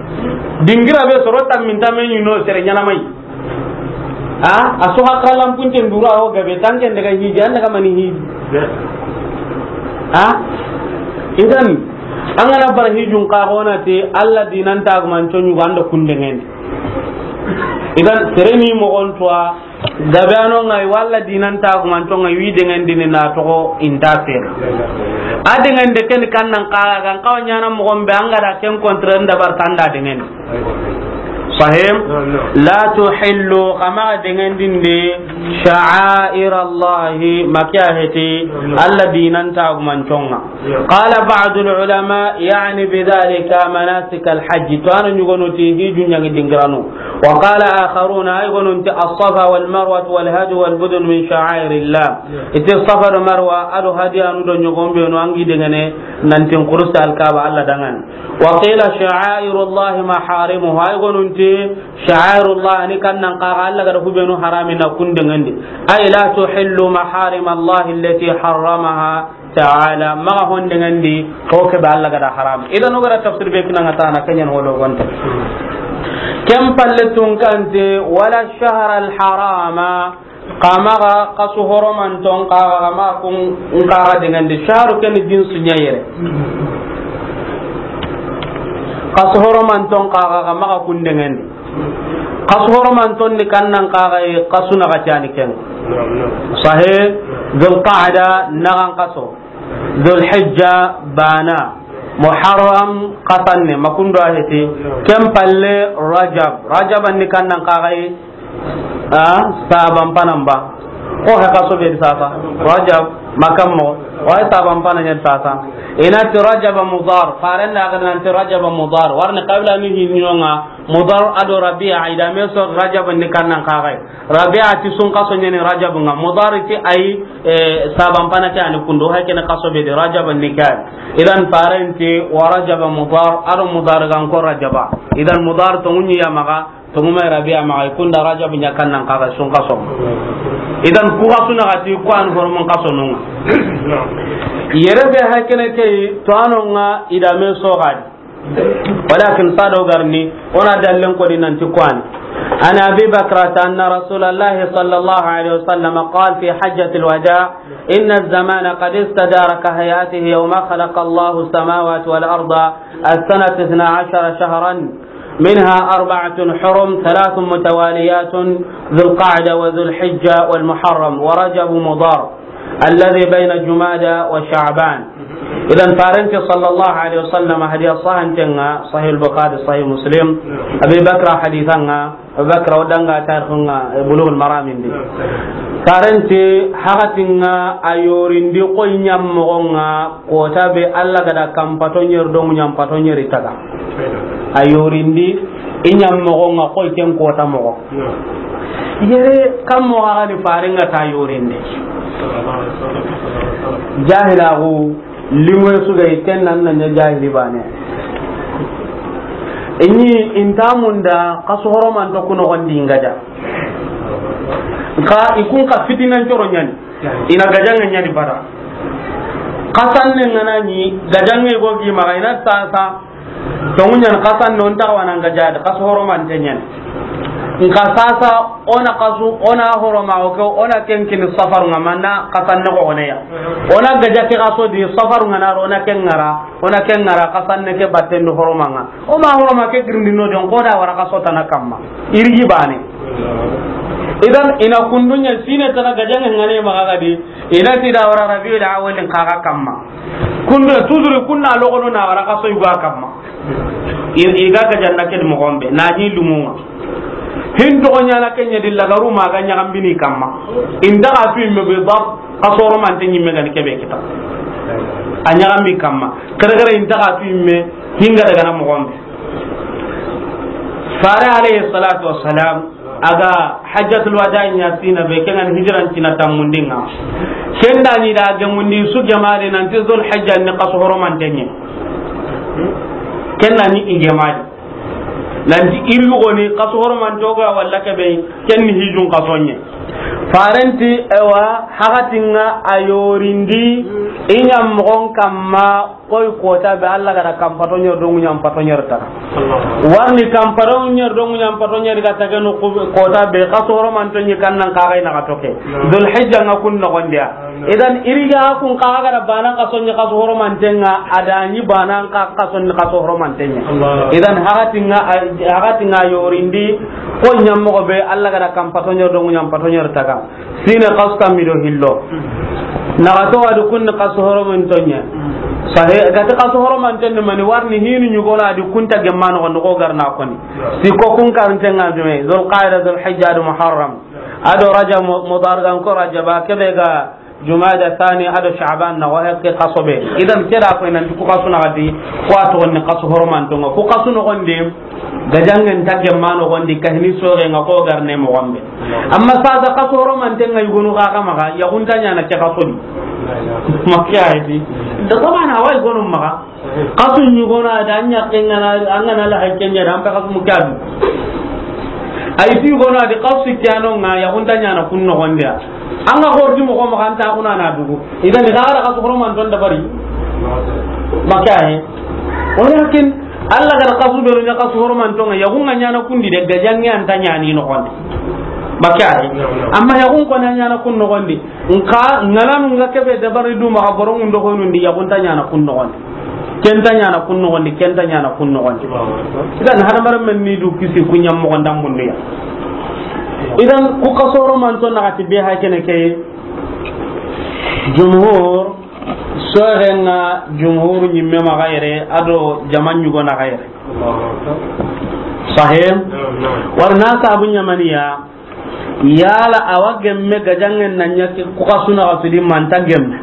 Dingira be soro tammin tamen ɲuno sere ɲana mai. Ha? A so hakkalan punten dura o gabe tanken daga hiji, an daga mani hiji. Ha? Idan, an gana bara hijun ka gona te Allah dinan tagumance ɲugo an da kundengen. Idan, sere ni mogon tuwa, gabe ano ngai walla dinan tagumance ngai wi dengendini na toxo inta sere. A dengende ken kannan kaga kan kawa ɲana mogon be an ga da ken kontre ndabar tanda dengendi. Fahim? Naam, naam. La tuhillu, xa maxa dengendindi, sha'air Allahi, ma ke ya heti, naam, naam, Alla dinan tagumanconga. Naam. Qala ba'dul ulama, ya'ni bidhalika manasik al-hajj. To a na yogonu ti hijju ɲangi dingiranu. Wa qala akharuna, ay yogonu ti as-Safa wal Marwa wal hajj wal budun min sha'airillah. Naam. I ti Safa do Marwa, a do hadiyanu do yogon benu an ga i dengene, nan ti n kurusi Alkaaba Alla danŋa ni. Wa qila sha'airullahi maharimuhu, ay yogonu ti sha'airullah ni kannan xa ga Alla ga da hubenu harami na kun dengendi. Ay la tuhillu maharimallahi allati harramaha ta'ala, maxa hon dengendi ho ke be Alla ga da haram. Idan o ga da tafsir be kinanga tana kenyan holo gonta. Ken palle tun kante, wala shahra al harama, xa maxa xasu horomanton xa ga xa maxa kun xa ga dengendi. Shahru ken jinsu ɲa yere. Xasu horomanton xa ga xa maxa kun dengendi. Xasu horomanton ni kannan xa ga yi, xasu na ga cani ken. Sahe, Dhul Qa'da na ga xaso. Dhul Hijja bana. Muharram xasanne, ma kun do a heti. Ken palle Rajab. Rajab ni kannan xa ga yi, a, saban panan ba. Ko he xaso be sasa. Rajab, ma kan mo. Wa saban panan ya sasa. I na ti Rajab Mudar. Faren da ga na ti Rajab Mudar. Warni qabila ni hinonga. Mudar a do Rabi'a, i da me so Rajab ni kannan xa ga yi. Rabi'a ti sun xaso ɲa ni Rajab nga. Mudar ti ay, e, saban pana ke a ni kundo, hay ken xaso be de Rajab ni kay. Idan faren ti wa Rajab Mudar, a do Mudar ga n ko Rajaba. Idan Mudar to ŋuɲi ya maxa, to ŋu me Rabi'a maxa, i kunda Rajab ɲa kannan xa ga yi sun xaso. Idan ku xasu na ga ti ku an horomun xaso nunga. Yere be hay ken ke to a no nga i da me so ga di. Walakin sado garni, o na dallen ko di nanti ku a ni. عن أبي بكرة أن رسول الله صلى الله عليه وسلم قال في حجة الوداع: إن الزمان قد استدار كهيئته يوم خلق الله السماوات والأرض، السنة اثنا عشر شهرا، منها أربعة حرم، ثلاث متواليات، ذو القعدة وذو الحجة والمحرم ورجب مضر. الذي بين جمادى وشعبان. Idan faren ti sallallahu alaihi wasallam, hadith sahihanten ŋa, Sahih al-Bukhari, Sahih Muslim, Abi Bakra hadithan ŋa, Abi Bakra o da ŋa tarikh ŋa, e, Bulughul Maram ndi. Faren ti hakatin ŋa a yorindi ko ɲammoxon ŋa, kota be Alla ga da kan pato ɲeri do ŋuɲan pato ɲeri taga. A yorindi i ɲammoxon ŋa koy ken kota moxo. Yere kan moxo ga ni faren ŋa ta yorindi. Jahilaxu, limoye su ga yi ken nan na ɲa jahili bane. I ɲi i nta munda xasu horomanto ku noxon di n gaja. Nka i kun xa fitinan coro ɲa ni. I na gajanŋe ɲa ni bada. Xasanne ŋa na ɲi gajanŋe go gi maxa i na sasa. Tongu ɲa ni xasanne o nta xa wa na n gaja di, xasu horomante ɲa ni. Nka sasa o na xasu, o na horoma o ke, o na ken kini safaru ŋa manna xasanne ko o ne ya. O na gaja ke xaso di safaru ŋa na ro, o na ken ŋara, o na ken ŋara xasanne ke batten do horoma ŋa. O ma horoma ke girindi no den ko da wara xaso tana kamma. Irigi bane. Idan i na kundu ɲa sine tana gajanŋe ŋa ne maxa ga di, i na ti da wara Rabiul Awwal n xa ga kamma. Kundu tuzuri kunna logono na wara xaso yugo a kamma. I, i ga gajanna ke di moxon be, na ɲi lumu ŋa. Hin toxo ɲa na ke ɲa di lagaru ma ga ɲaxambini kamma. I nta xa tu i me be ba, xasu horomante ɲi me ga ni ke be kita. A ɲaxambi kamma. Kare kare i nta xa tu i me hinga daga na moxon be. Fare alayhi salatu wassalam, a ga hajjatul wada ɲa sina be, ken ŋa ni hijran cina tammundi ŋa. Ken da ɲi da gemundi su gemari nanti Zul Hijja ni xasu horomante ɲa. Ken da ɲi i gemari. Nanti iri yogoni xasu horomante o ga walla ke be, ken ni hijun xaso ɲa. Faren ti, ewa, hakatin ŋa a yorindi i ɲammoxon kamma. Koy kota be Alla ga da kan pato ɲeri do ŋuɲan pato ɲeri taga. Warni kan pato ɲeri do ŋuɲan pato ɲeri ga taga no ku-, kota be xasu horomanto ɲi kannan xa ga i na ga toke. Dul Hijja ŋa kun noxon di ya. Idan iri ga kun xa ga da bana xaso ɲi xasu horomante ŋa, a da ɲi bana xa xaso ɲi xasu horomante ɲa. Idan hakatin ŋa, hakatin ŋa yorindi ko ɲammoxo be Alla ga da kan pato ɲeri do ŋuɲan pato ɲeri taga. Sine xasu tammi do hillo. Naxato wa di kun ni xasu horomanto ɲa. Sahe, ga ti xasu horomanten ni mani, warni hinu ɲugona di kunta gemma noxondi xo garna koni. Si ko kun karinten ŋa jume, Zulqaida, Zulhijja, do Muharram. Ado Rajab, Mu-, Mudar gan ko Rajaba, kebe ga Jumada Thani ado Sha'ban na wahe ke xaso be. Idan keda ko nan ku xasu na gadi, ko a toxon ni xasu horomanten ŋa. Ku xasu noxondi, gajangen ta gemma noxondi, kahini soxe ŋa xo garne moxon be. Amma sasa xasu horomanten ŋa yugonu xa xa maxa, yaxunta ɲana ke xaso di. Makke a yi di. Da ko mana wa yugonu maxa. Xasu ɲugona da ɲakke ŋana, an ŋana la hakke ɲa da, an pe xasu mu kadu. Ay ti yugona di xasu kiyano ŋa, yaxunta ɲana kun noxondi ya. An ga xorti moxo maxa, an ta kuna na dugu. Idan ni xara xasu horomanten dabari. Makke a yi. Walakin Allah ga da xasu be no ɲa xasu horomanten ŋa, yaxun ŋa ɲana kundi de, gajange an ta ɲani noxondi. Makke a yi. Amma yaxun ko na ɲana kun noxondi. Nka ŋalanu ŋa kebe dabari du maxa, borongun do honundi, yaxunta ɲana kun noxondi. Kenta ɲana kun noxondi, kenta ɲana kun noxondi. Idan hadamaren men ni du kisi ku ɲa moxon da mundu ya. Idan ku xasu horomanten naxati be ha kene ke. Jumhur, soxe ŋa jumhur ɲimme maxa yere, ado jama ɲugona xa yere. Sahih? Naam, naam. Warna sabu ɲamaniya, yala awa gemme gajangen na ɲa ke ku xasu naxasu di manta gemme.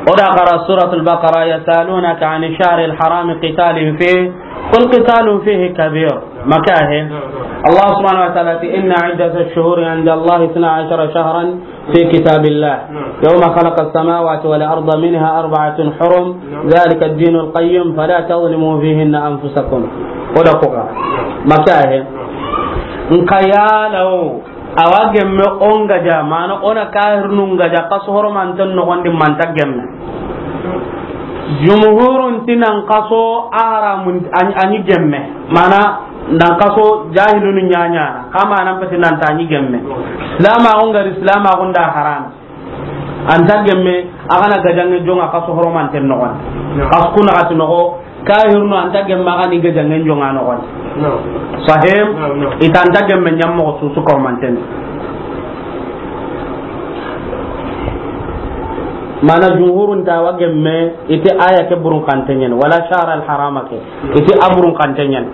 O da xara Suratul Baqara, يسألونك عن الشهر الحرام قتال فيه قل قتال فيه كبير. Makke a yi. Allah subhanahu wa ta'ala ti, إن عدة الشهور عند الله اثنا عشر شهرا في كتاب الله يوم خلق السماوات والأرض منها أربعة حرم ذلك الدين القيم فلا تظلموا فيهن أنفسكم. O da ko ga. Makke a yi. Nka yala o, awa gemme o n gaja, mana o na kahirnu n gaja, xasu horomanten noxondi manta gemme. Jumhurun ti nan xaso a haramun, a ɲi, a ɲi gemme. Mana nan xaso jahilunu ɲaɲana, xa mana n peti nan ta ɲi gemme. Silamaxu n gari, silamaxu n da haram. An ta gemme, a xa na gajange jonga xasu horomanten noxondi. Xasu ku naxati noxo, kahirnu an ta gemme, a xa ni gajangen jonga noxondi. Sahih? I ta an ta gemme ɲa moxo su su ka horomanten. Mana jumhurun ta wa gemme, i ti aya ke burun xanten ɲa ni, ولا الشهر الحرام ke. I ti a burun xanten ɲa ni.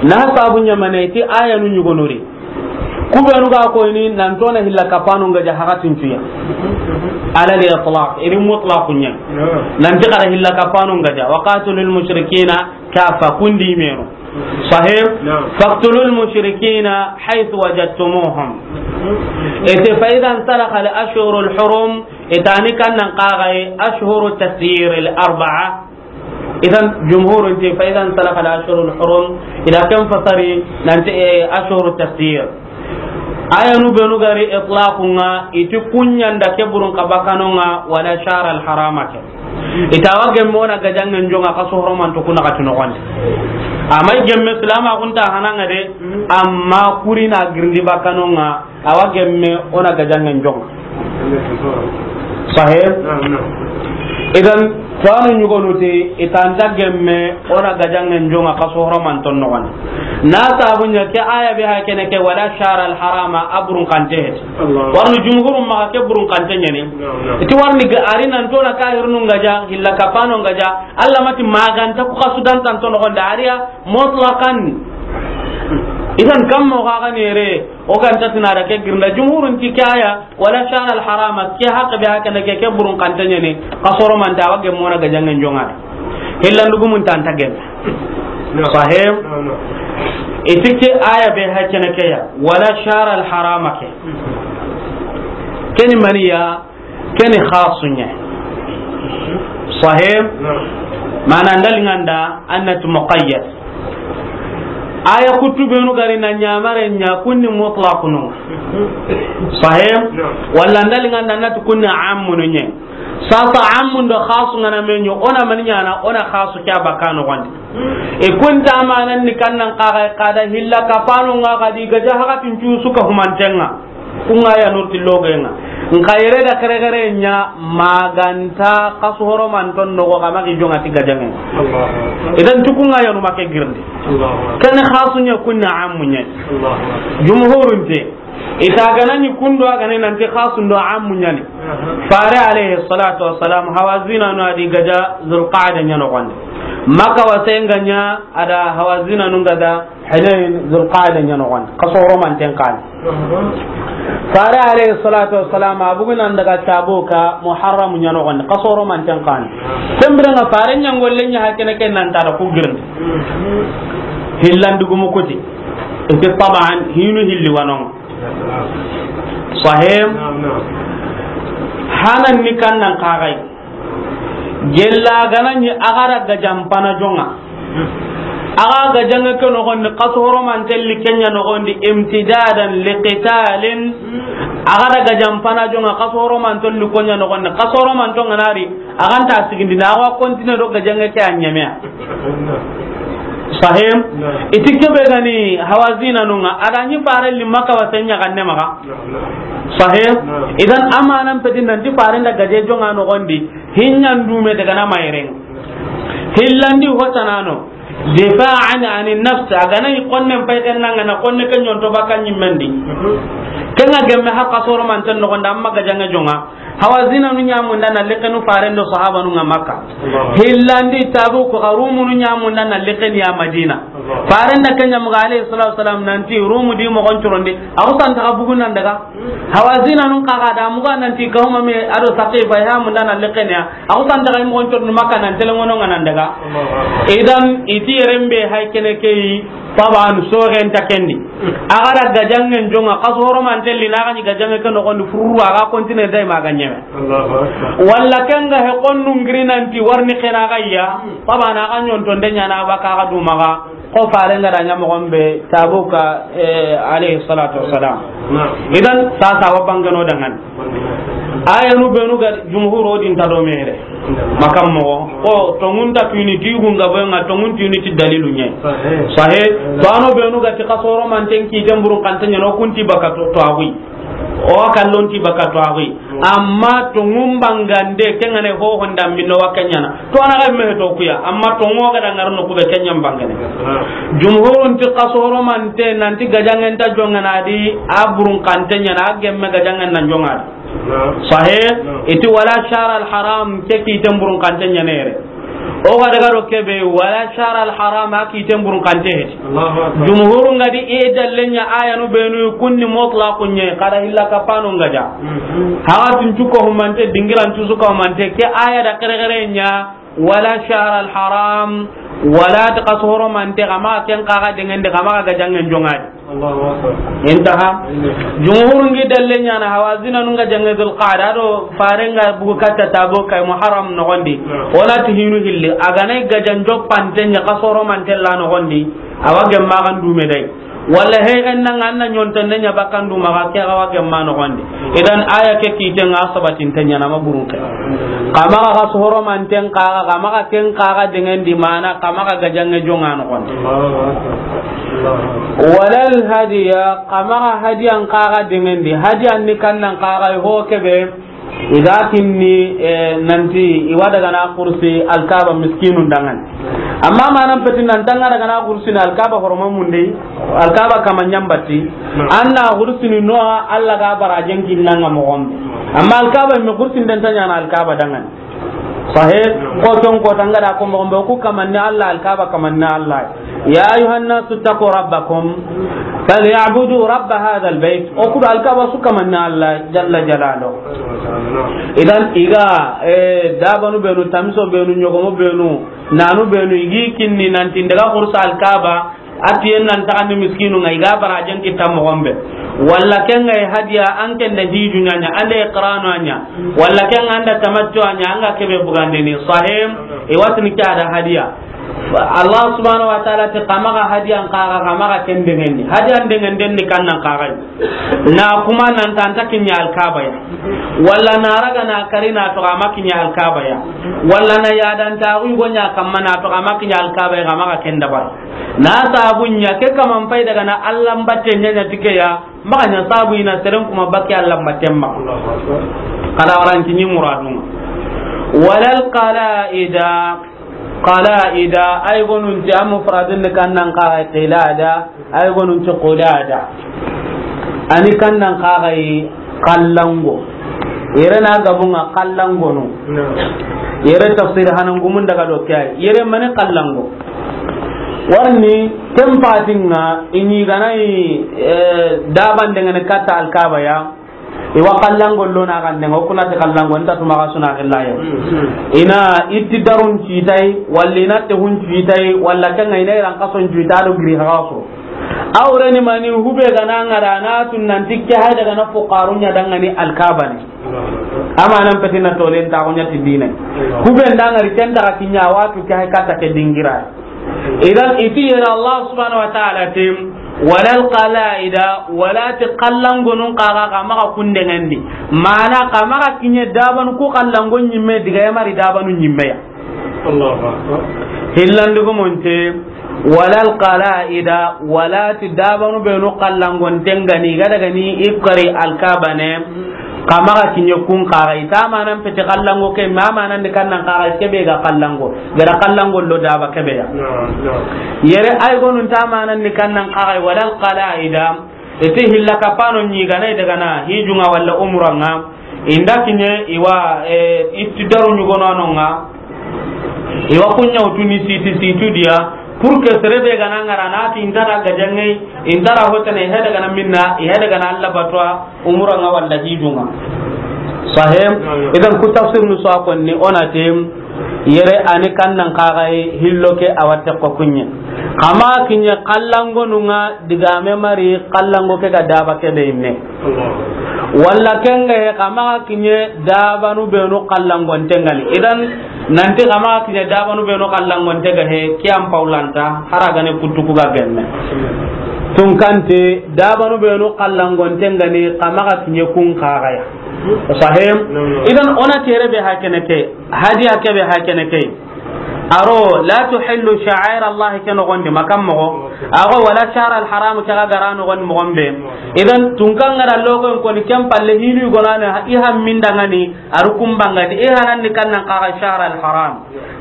Na sabu ɲamane, i ti ayanu ɲugonori. Ku benu ga koyini nan ti o na hilla kapano n gaja hakatincuya. Ala al-itlaq, i ri mutlaqu ɲa. Nan ti xara hilla kapano n gaja. وقاتلوا المشركين كافة, kundi menu. Sahih? Naam. فاقتلوا المشركين حيث وجدتموهم. I ti فإذا انسلخ الأشهر الحرم, i ta ni kan nan xaxaye أشهر التسيير الأربعة. Idan, jumhurun ti, فإذا انسلخ الأشهر الحرم, i da ken fasari, nan ti, eh, أشهر التسيير. Ayanu benu gari itlaqu ŋa, i ti ku ɲa n da ke burun xa bakano ŋa, ولا الشهر الحرام ke. I ta wa gemme o na gajangen jonga xasu horomanten ku naxati noxondi. Amma i gemme silamaxu n ta hana ŋa de, amma kuri na girindi bakano ŋa, awa gemme o na gajangen jonga. Sahih? Naam, naam. Idan, tanu ɲugonu ti, i ta an ta gemme o na gajangen jonga xasu horomanten noxondi. Na sabu ɲa ke aya be ha kene ke, ولا الشهر الحرام, a burun xante heti. Allah. Warni jumhurun maxa ke burun xante ɲa ni. Naam, naam. I ti warni ga-, a ri nan ti o na kahirnu n gaja, hilla kapano n gaja, Allah ma ti maganta ku xasu dantanten noxondi, a ri ya mutlaqan. Idan kammo xa ga ni yere, o ga nta ti na da ke girinda. Jumhurun ti ke aya, ولا الشهر الحرام, ke haqqe be hakana ke, ke burun xante ɲa ni, xasu horomante, awa gemme o na gajangen jonga. Hillandugumun ta an ta gemme. Naam. Sahih? Naam, naam. I ti ke aya be hakana ke ya, ولا الشهر الحرام ke. Ke ni mani ya, Ke ni xasu ɲa. Sahih? Naam. Mana n da liŋa n da, an na ti muqayyad. Aya kuttu benu gari na ɲamare ɲa, kun ni mutlaqunu. Sahih? Naam. Walla n da liŋa n da, an na ti kun ni ammunu ɲa. Sasa ammun do xasu ŋa na me ɲa, o na mani ɲaana, o na xasu ke a bakka noxondi. I kun ta manan ni kan nan xa ga, xa da hilla kapano ŋa, xa di gaja hakatincu su ka humanten ŋa. Kun ŋa ya nurti loge ŋa. Nka yere da kere kere ɲa maganta xasu horomanten noxo xa ma ki jonga ti gajangen. Allahu Akbar. Idan ti kun ŋa ya nu ma ke girindi. Allahu Akbar. Ke ni xasu ɲa, kun ni ammu ɲa. Allahu Akbar. Jumhurun ti, Ita gana ni kundo a gana nanti khasun do ammu ɲa ni. Fare alayhi salatu wassalam, Hawazinanu a di gaja Zulqaada ɲa noxondi. Makka wasenga ɲa a da Hawazinanu gaja Hunayn, Zulqaada ɲa noxondi. Xaso horomanten xa ni. Fare alayhi salatu wassalam, a bugu nan daga Tabuka Muharram ɲa noxondi. Xaso horomanten xa ni. Ken biren ŋa Fare ɲa ŋolle ɲa hakene ken nan tara ku girni. Hillandugumu kuti. Iti taban hinu hilli wa no ŋa. Sahih. Hanan ni kannan xa ga yi. Gella gana ni a ga ra gajan pana jonŋa. A ga gajanŋe ke noxondi, xaso horomanten li ke ɲa noxondi, imtidadan liqitalin. A ga ra gajan pana jonŋa, xaso horomanten li ko ɲa noxondi, xaso horomanten ŋa na ri. A ga nta sigindi na, a ga continue do gajanŋe ke a ɲeme ya. Sahih. Iti kebe gani Hawazinanu ŋa, a da ɲi Fare li Makka wasen ɲa ganne maxa. Sahih. Idan amanan peti nanti Fare nda gaje jonŋa noxondi, hinɲan dume daga na mayren. Hillandi hotanano, difa'an ani nafs, a gana yi konnen payten nan ŋa na konne ke ɲonto baka ɲimmendi. Ken ŋa gemme har xaso horomanten noxondi, amma gajanŋe jonŋa. Hawazinanu ɲamunda na lekenu Faren do sahabanu ŋa Makka. Hillandi Tabuku xa Rumunu ɲamunda na lekeni ya Madina. Faren da ke ɲa muga alayhi salatu wassalam nanti Rumu di moxon curondi. A xusan taxa bugu nan daga. Hawazinanu xa ga da muga nanti Kahuma me a do Saqifa ya munda na lekeni ya. A xusan taxa moxon curondi Makka nan telengono ŋa nan daga. Idan iti yeren be hay kene ke yi. Taban soxen ta kendi. A ga ra gajanŋen jonŋa, xaso horomanten li na ga ɲi gajanŋe ke noxondi fururu, a ga continue day ma ga ɲeme. Allahu akbar. Walla ken ga he konnu ngiri nanti warni xena ga ya. Taban a ga ɲonto nde ɲa na ba ka ga du maxa. Xo Faren ga da ɲa moxon be Tabuka, eh, alayhi salatu wassalam. Idan sasa wa bangano dangan. Ayanu benu ga jumhuro din ta do mere. Makam moxo. O tongun ta tuni ti gunga boy ŋa tongun tuni ti dalilu ɲe. Sahih. To ano benu ga ti xaso horomanten ki temburun xanten ɲa no kunti baka to, to agui. O kallon ti baka to agui. Amma tongun bangande ke ŋa ne ho honda minno wa ke ɲa na. To ana ga me to kuya. Amma tongo ga da ŋarno ku be ke ɲa bangane. Jumhurun ti xaso horomanten nanti gajanŋen ta jonŋa na di a burun xanten ɲa na a gemme gajanŋen nan jonŋa di. Sahih. Iti wala shahr al haram ke ki temburun xanten ɲa ne yere. O ga daga do kebe wala shahr al haram a ki temburun xante heti. Jumhurun ga di i dalle ɲa ayanu benu kunni mutlaqun ɲe kada illa kapano ngaja. Haga tun cuko humante dingiran cusu ka humante ke aya da kere kere ɲa. Wala shahr al haram, wala ta xaso horomante, xa maxa ken xa ga dengendi, xa maxa gajanŋen jonŋa di. Allahu akbar. Intaha. Jumhurun gi dalle ɲa na Hawazinanu ŋa gajanŋe Zulqaada do Faren ga bugu katta Tabuka Muharram noxondi. Wala ti hinu hilli, a ga na gajan joppanten ɲa xaso horomanten la noxondi, a wa gemma ga ndume day. Walla he en nan an na ɲontonde ɲa bakkandu maxa ke ga wa gemma noxondi. Idan aya ke kite ŋa sabatin ta ɲa na ma burun ke. Xa maxa xaso horomanten xa ga, xa maxa ken xa ga dengendi mana, xa maxa gajanŋe jonŋa noxondi. Wala al hadiya, xa maxa hadiyan xa ga dengendi. Hadiyan ni kannan xa ga ho kebe. I ga kinni, eh, nanti i wa daga na kursi Alkaba miskinun danŋa ni. Amma manan peti nan tanga daga na kursi ni Alkaba horoma munde, Alkaba kama ɲambati. An na kursi ni no Allah ga barajen kinna ŋa moxon be. Amma Alkaba me kursi den ta ɲa na Alkaba danŋa ni. Sahih, ko ton ko tanga da ko moxon be ku kamanni Allah, Alkaba kamanni Allah. Ya ayyuhan nasu ttaqu rabbakum, falyabudu rabba hadha albayt. O ku do Alkaba su kamanni Allah jalla jalalu. Idan i ga, eh, dabanu benu, tamiso benu, ɲogomo benu, nanu benu, i gi kinni nanti n daga kursa Alkaba, a ti yen nan taxandi miskinu ŋa, i ga barajen kita moxon be. Walla ken ŋa hadiya, an ken da hiju ɲa ɲa, an da iqranu ɲa. Walla ken ŋa an da tamattu ɲa, an ga kebe bugandini. Sahih, i wa tini ke a da hadiya. Allah subhanahu wa ta'ala ti xa maxa hadiyan xa ga, xa maxa ken dengendi. Hadiyan dengenden ni kannan xa ga. Na kuma nan ta an ta kiɲa Alkaba ya. Walla na raga na kari na to xa ma kiɲa Alkaba ya. Walla na yadan ta wi go ɲa kamma na to xa ma kiɲa Alkaba ya, xa maxa ken dabari. Na sabu ɲa ke kaman fay daga na Allah mbatte ɲa ɲa ti ke ya. Maxa ɲa sabu i na seren kuma bakke Allah mbatten maxa. Kada waran kiɲi muradun. Wala al qalaida. Qalaida, ay gonun ti a mufradun ni kannan xa qilada, ay gonun ti qulada. A ni kannan kaxayi kallango. Yere na gabunga kallangonu. Yere tafsir hanangumun daga do ke ay. Yere mani kallango. Warni tempatinga ini ganai, eh, daban dengan kata Alkaba ya. Iwa kallango lona kan dengan kuna te kallango nta tuma ka suna killayo. Ina itti darun citai, walla ina te hun citai, walla kanga ina iran kason citai do giri haso. Awreni mani hube gana ngara na tun nan tikke hay daga na fuqarunya dangani Alkaba ne. Amanan petina tolen ta kunya ti dina. Hube ndangari kenta ka kinya watu ke hay kata ke dingira. Idan iti yera Allah subhanahu wa ta'ala tim, wala alqalaida, wala ti kallangonun kaga kama ka kundengendi. Mana kama ka kinye daban ku kallangon nyimme diga yamari dabanu nyimme ya. Allahu akbar. Hillandugu monte, wala alqalaida, wala ti dabanu benu kallangon tengani, gada gani ikari Alkaba ne, kama ga kinye kun kaga, ita manan pete kallango ke, ma manan di kannan kaga, kebe ga kallango, gara kallango lo daba kebe ya. Yere ay gonun ta manan di kannan kaga, wala alqalaida, iti hilla kapano nyi gana daga na hijunga wala umranga. Inda kinye iwa, eh, itti daru nyugono anonga. Iwa kunya utuni siti situ dia. Pour que serebe gana ngara na ti intara gajange, intara hotane hede gana minna, hede gana Allah batwa, umranga wala hijunga. Sahih? Idan ku tafsir nu so konni onatim. Yere ani kannan kaxaye hillo ke a watte ko kunye. Kama kinye kallangonunga digame mari kallango ke ga daba ke be inne. Walla kenga he kama kinye dabanu benu kallangon tengani. Idan nanti kama kinye dabanu benu kallangon tega he kiyam paulanta haragane kutuku ga gemme. Tunkante dabanu benu kallangon tengani kama kinye kun kaxaya. Sahih? Idan ona tere be hakene ke. Hadiya kebe hakene ke. Aro, la tuhillu sha'air Allah ke nogondi makam mogo. Ago wala shahr al haram ke ga gara nogondi mogombe. Idan tunkan ngara logo ko ni kem palle hinu gonane i hammindangani aru kumbangadi i harandi kannan kaga shahr al haram.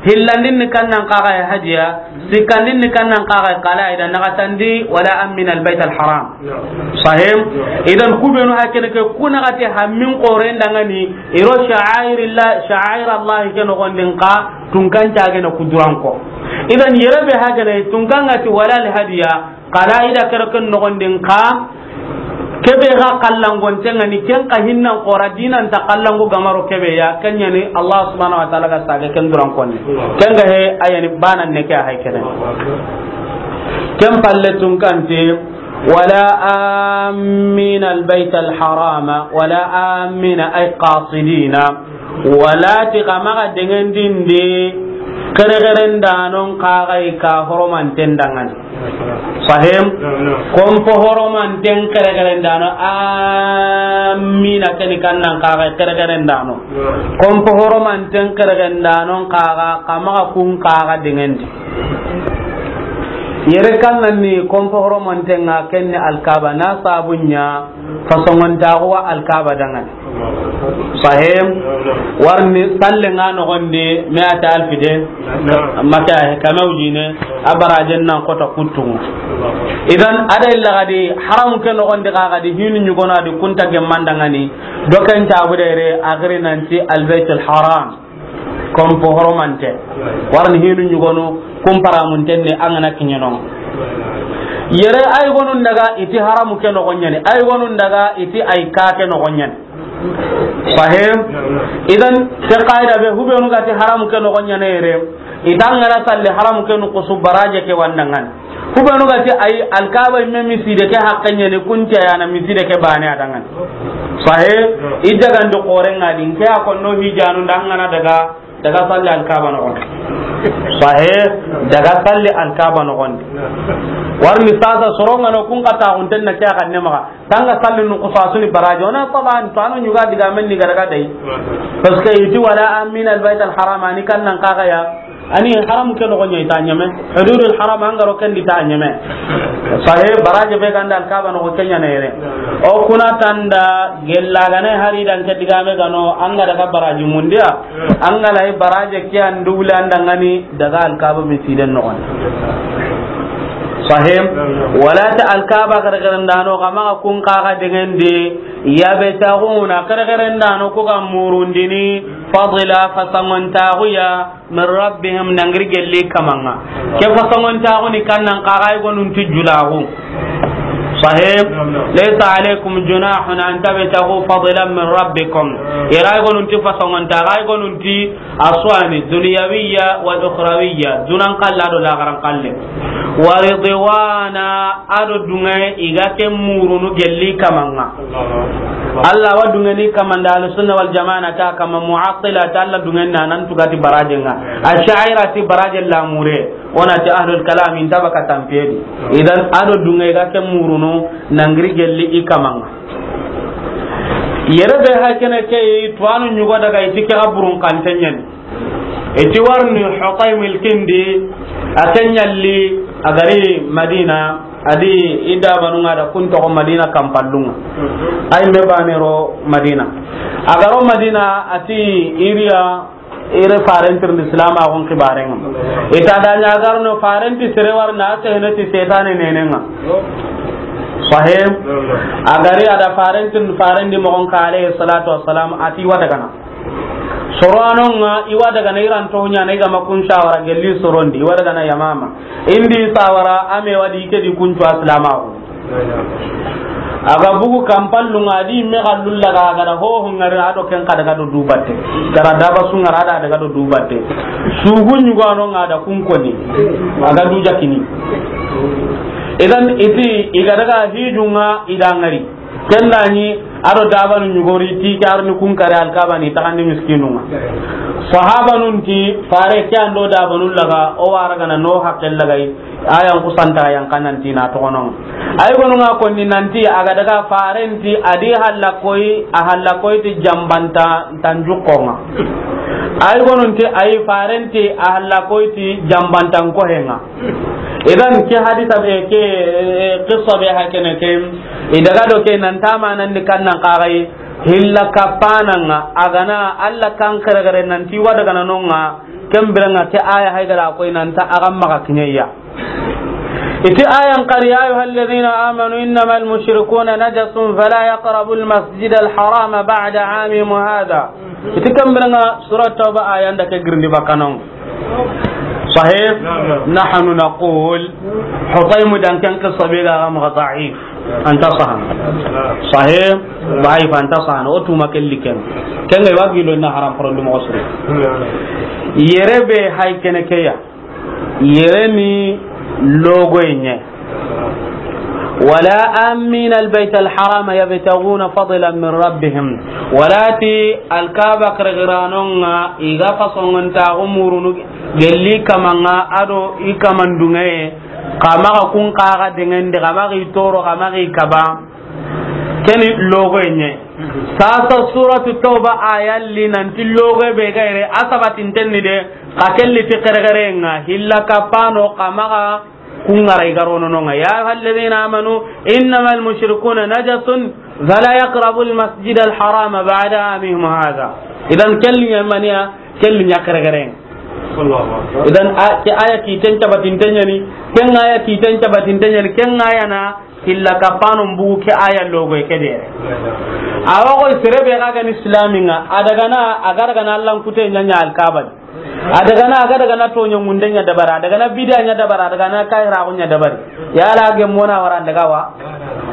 Hillandin ni kannan kaga hadiya. Sikkandin ni kannan kaga kala idan nagatandi wala amin al bait al haram. Sahim. Idan kubenu hakene ke kuna gati hammin qoren dangani iro sha'airillah, sha'air Allah ke no gondin ka tunkan cage na kuduran ko. Idan yere be hakene tunkan gati wala al hadiya kala ida kerken no gondin ka kebe ga kallangon tengani ken ka hinnan qora dinan ta kallango gamaro kebe ya kenyani Allah subhanahu wa ta'ala ga sage ken duran konni. Ken ga he ayani banan ne ke hay kene. Ken palle tunkanti, wala amina albayt alharama, wala amina ay qasidina, wala ti kamaga dengendindi kere keren danon kagai ka horomanten dangani. Sahim. Kompo horomanten kere keren dano amina keni kannan kagai kere keren dano. Kompo horomanten kere keren danon kaga kamaga kun kaga dengendi. Yere kannan ni kompo horomanten nga kenni alkaba na sabunya fasongontaxu wa alkaba dangani. Sahim. Warni salle nga nogondi me ata alfide. Maka he kama ujine abarajen nan kota kuttungu. Idan ada illa gadi haram ke nogondi ka gadi hinu nyugona di kunta gemmandangani. Doken tabu dere agri nanti albaytul haram. Kompo horomante. Warni hinu nyugonu kumpara muntenne angana kinyano. Yere ay gonun daga iti haramu ke no gonyane, ay gonun daga iti ay ka ke no gonyane. Sahim. Idan ke qaida be hubenu gati haramu ke no gonyane yere. Idan ngara salli haramu ke no kusu baraje ke wandangan. Kubenu ga ti ay alkaba imme miside ke haqqe ɲeni kunte yana miside ke bane adangan. Sahe, idagandi xoren ŋa di, nke a konno hijanu ndangana daga, daga salli alkaba noxon. Sahe, daga salli alkaba noxon. Warni sasa soronŋa no kun kata xunten na ke a xanne maxa. Tanga salli nu xusasuni baraji. Ona taban to anu ɲuga diga men ni garaga dai. Parce que iti wala amin albayt alharam ani kan nan kaga ya. Ani haram ke noxon ɲa i ta ɲeme. Hududul haram an ga ro ken di ta ɲeme. Sahe baraji be ganda alkaba noxo ke ɲa na yere. O kuna tanda gella gane hari dan ke digame gano an ga daga baraji mundiya. An ga lay baraji ke an dubule an dangani daga alkaba misiden noxon. Sahih. Wala ta Alkaaba xerexerendano, xa maxa kun xaxa dengendi, yabtaghuna, xerexerendano ku ga murundini, fadla, fasangontaxuya, min rabbihim, nangiri gelli kamanŋa. Ke fasangontaxu ni kannan xaxa i gonunti julaxu. Sahih. Laysa alaykum junahun an tabtaghu fadlan min rabbikum. Ira i gonunti fasangontaxu, i gonunti aswani, dunyawiya wal ukhrawiya, dunan xalla do laxaran xalle. Wa ridwana, ado dunŋe i ga ke murunu gelli kamanŋa. Allah wa dunŋeni kamanda, Ahlu Sunna wal Jamaa na ta kama, Mu'attila ta Allah dunŋen na nan tugati barajenŋa. Ash'ira ti barajen lamure, wona ti ahlul kalam inta baka tampedi. Idan ado dunŋe i ga ke murunu nangiri gelli i kamanŋa. Yere be hakene ke tuwanu nyugo daga i ti ke aburun kantenyen. I ti warni Hutaymil kindi, a ke ɲalli, a gari Madina, a di i dabanunŋa da kun toxo Madina kampallunŋa. Ay me banero Madina. A garo Madina, a ti iriya, iri farentirndi silamaxun xibarenŋa. I ta da ɲa garno farenti sere warna, a sehene ti setane nenenŋa. Sahih. A gari a da farentirndi farendi moxon ka alayhi salatu wassalam, a ti wa dagana. Soro anonŋa, i wa dagana iranto ɲana, i ga ma kun sawara gelli sorondi, i wa dagana Yamama. Indi sawara, a me wa di ke di kuncu asilamaxu. A ga bugu kampallunŋa, a di me xallulla ga, a ga da hoho ŋari, a do ken xa daga do dubatte. Gara daba su ŋara, a da daga do dubatte. Sugu ɲugo anonŋa da kun koni. A ga du jakini. Idan i ti, i ga daga hijunŋa, i da ŋari. Ken da ɲi, a do dabanu ɲugori ti ke arni kun kare Alkaaba ni taxandi miskinunŋa. Sahabanun ti, fare ke an do dabanu laga, o wara gana no haqqe lagai, ayan kusanta yan kanan ti na toxononŋa. Ay gonunŋa konni nanti a ga daga farenti a di halla koy, a halla koy ti jambanta tanjukonŋa. Ay gonun ti ay farenti a halla koy ti jambantan kohenŋa. Idan ke hadisa be ke, eh, qissa be hakene ke, i daga do ke nan ta manan ni kannan xaxay, hilla kapananŋa, a gana Allah kan xerexere nan ti wa dagana nonŋa, ken biranŋa ke aya hay gara koy nan ta a ga maxa kiɲeya. I ti ayan xari, ya ayyuhalladhina amanu innamal mushrikuna najasun fala yaqrabul masjidal harama ba'da amihim hadha. I ti ken biranŋa Surat Tawba ayan da ke girindi bakanonŋa. Sahih? Naam, naam. Nahnu naqul, Hutaymu dan ken qissa be ga maxa da'if. Anta sahana. Sahih? Da'if, anta sahana. O tuma kelli ken. Ken ga wagi lo na haram porondi mo suru. Yere be hay kene ke ya. Yere ni logo ɲe. Wala amina albayt alharama yabtaguna fadlan min rabbihim. Wala ti Alkaaba xerexeranonŋa i ga fasongontaxu murunu gelli kamanŋa a do i kamandunŋe, xa maxa kun xaxa dengendi, xa maxa i toro, xa maxa i kaba. Keni logo ɲe. Sasa Suratu Tawba ayalli nanti logo be ga yere a sabatintenni de, xa kelli ti xerexerenŋa, hilla kapano, xa maxa kungara i garono nonŋa. Ya ayyuhalladhina amanu innamal mushrikuna najasun fala yaqrabul masjidal harama ba'da amihim hadha. Idan kelli ɲa maniya, kelli ɲa xerexere. Allahu Akbar. Idan a, ke aya kiten tabatinten ɲani, ken aya kiten tabatinten ɲani, ken aya na illa kapano mbugu ke aya logo ke dere. Awa ko sere be ga gani islaminŋa, a daga na, a ga daga na Allahnkute ɲa ɲa Alkaaba. A daga na, a ga daga na toɲo ŋunde ɲa dabari, a daga na bidiya ɲa dabari, a daga na kahiraxu ɲa dabari. Yala a gemmona wara daga wa?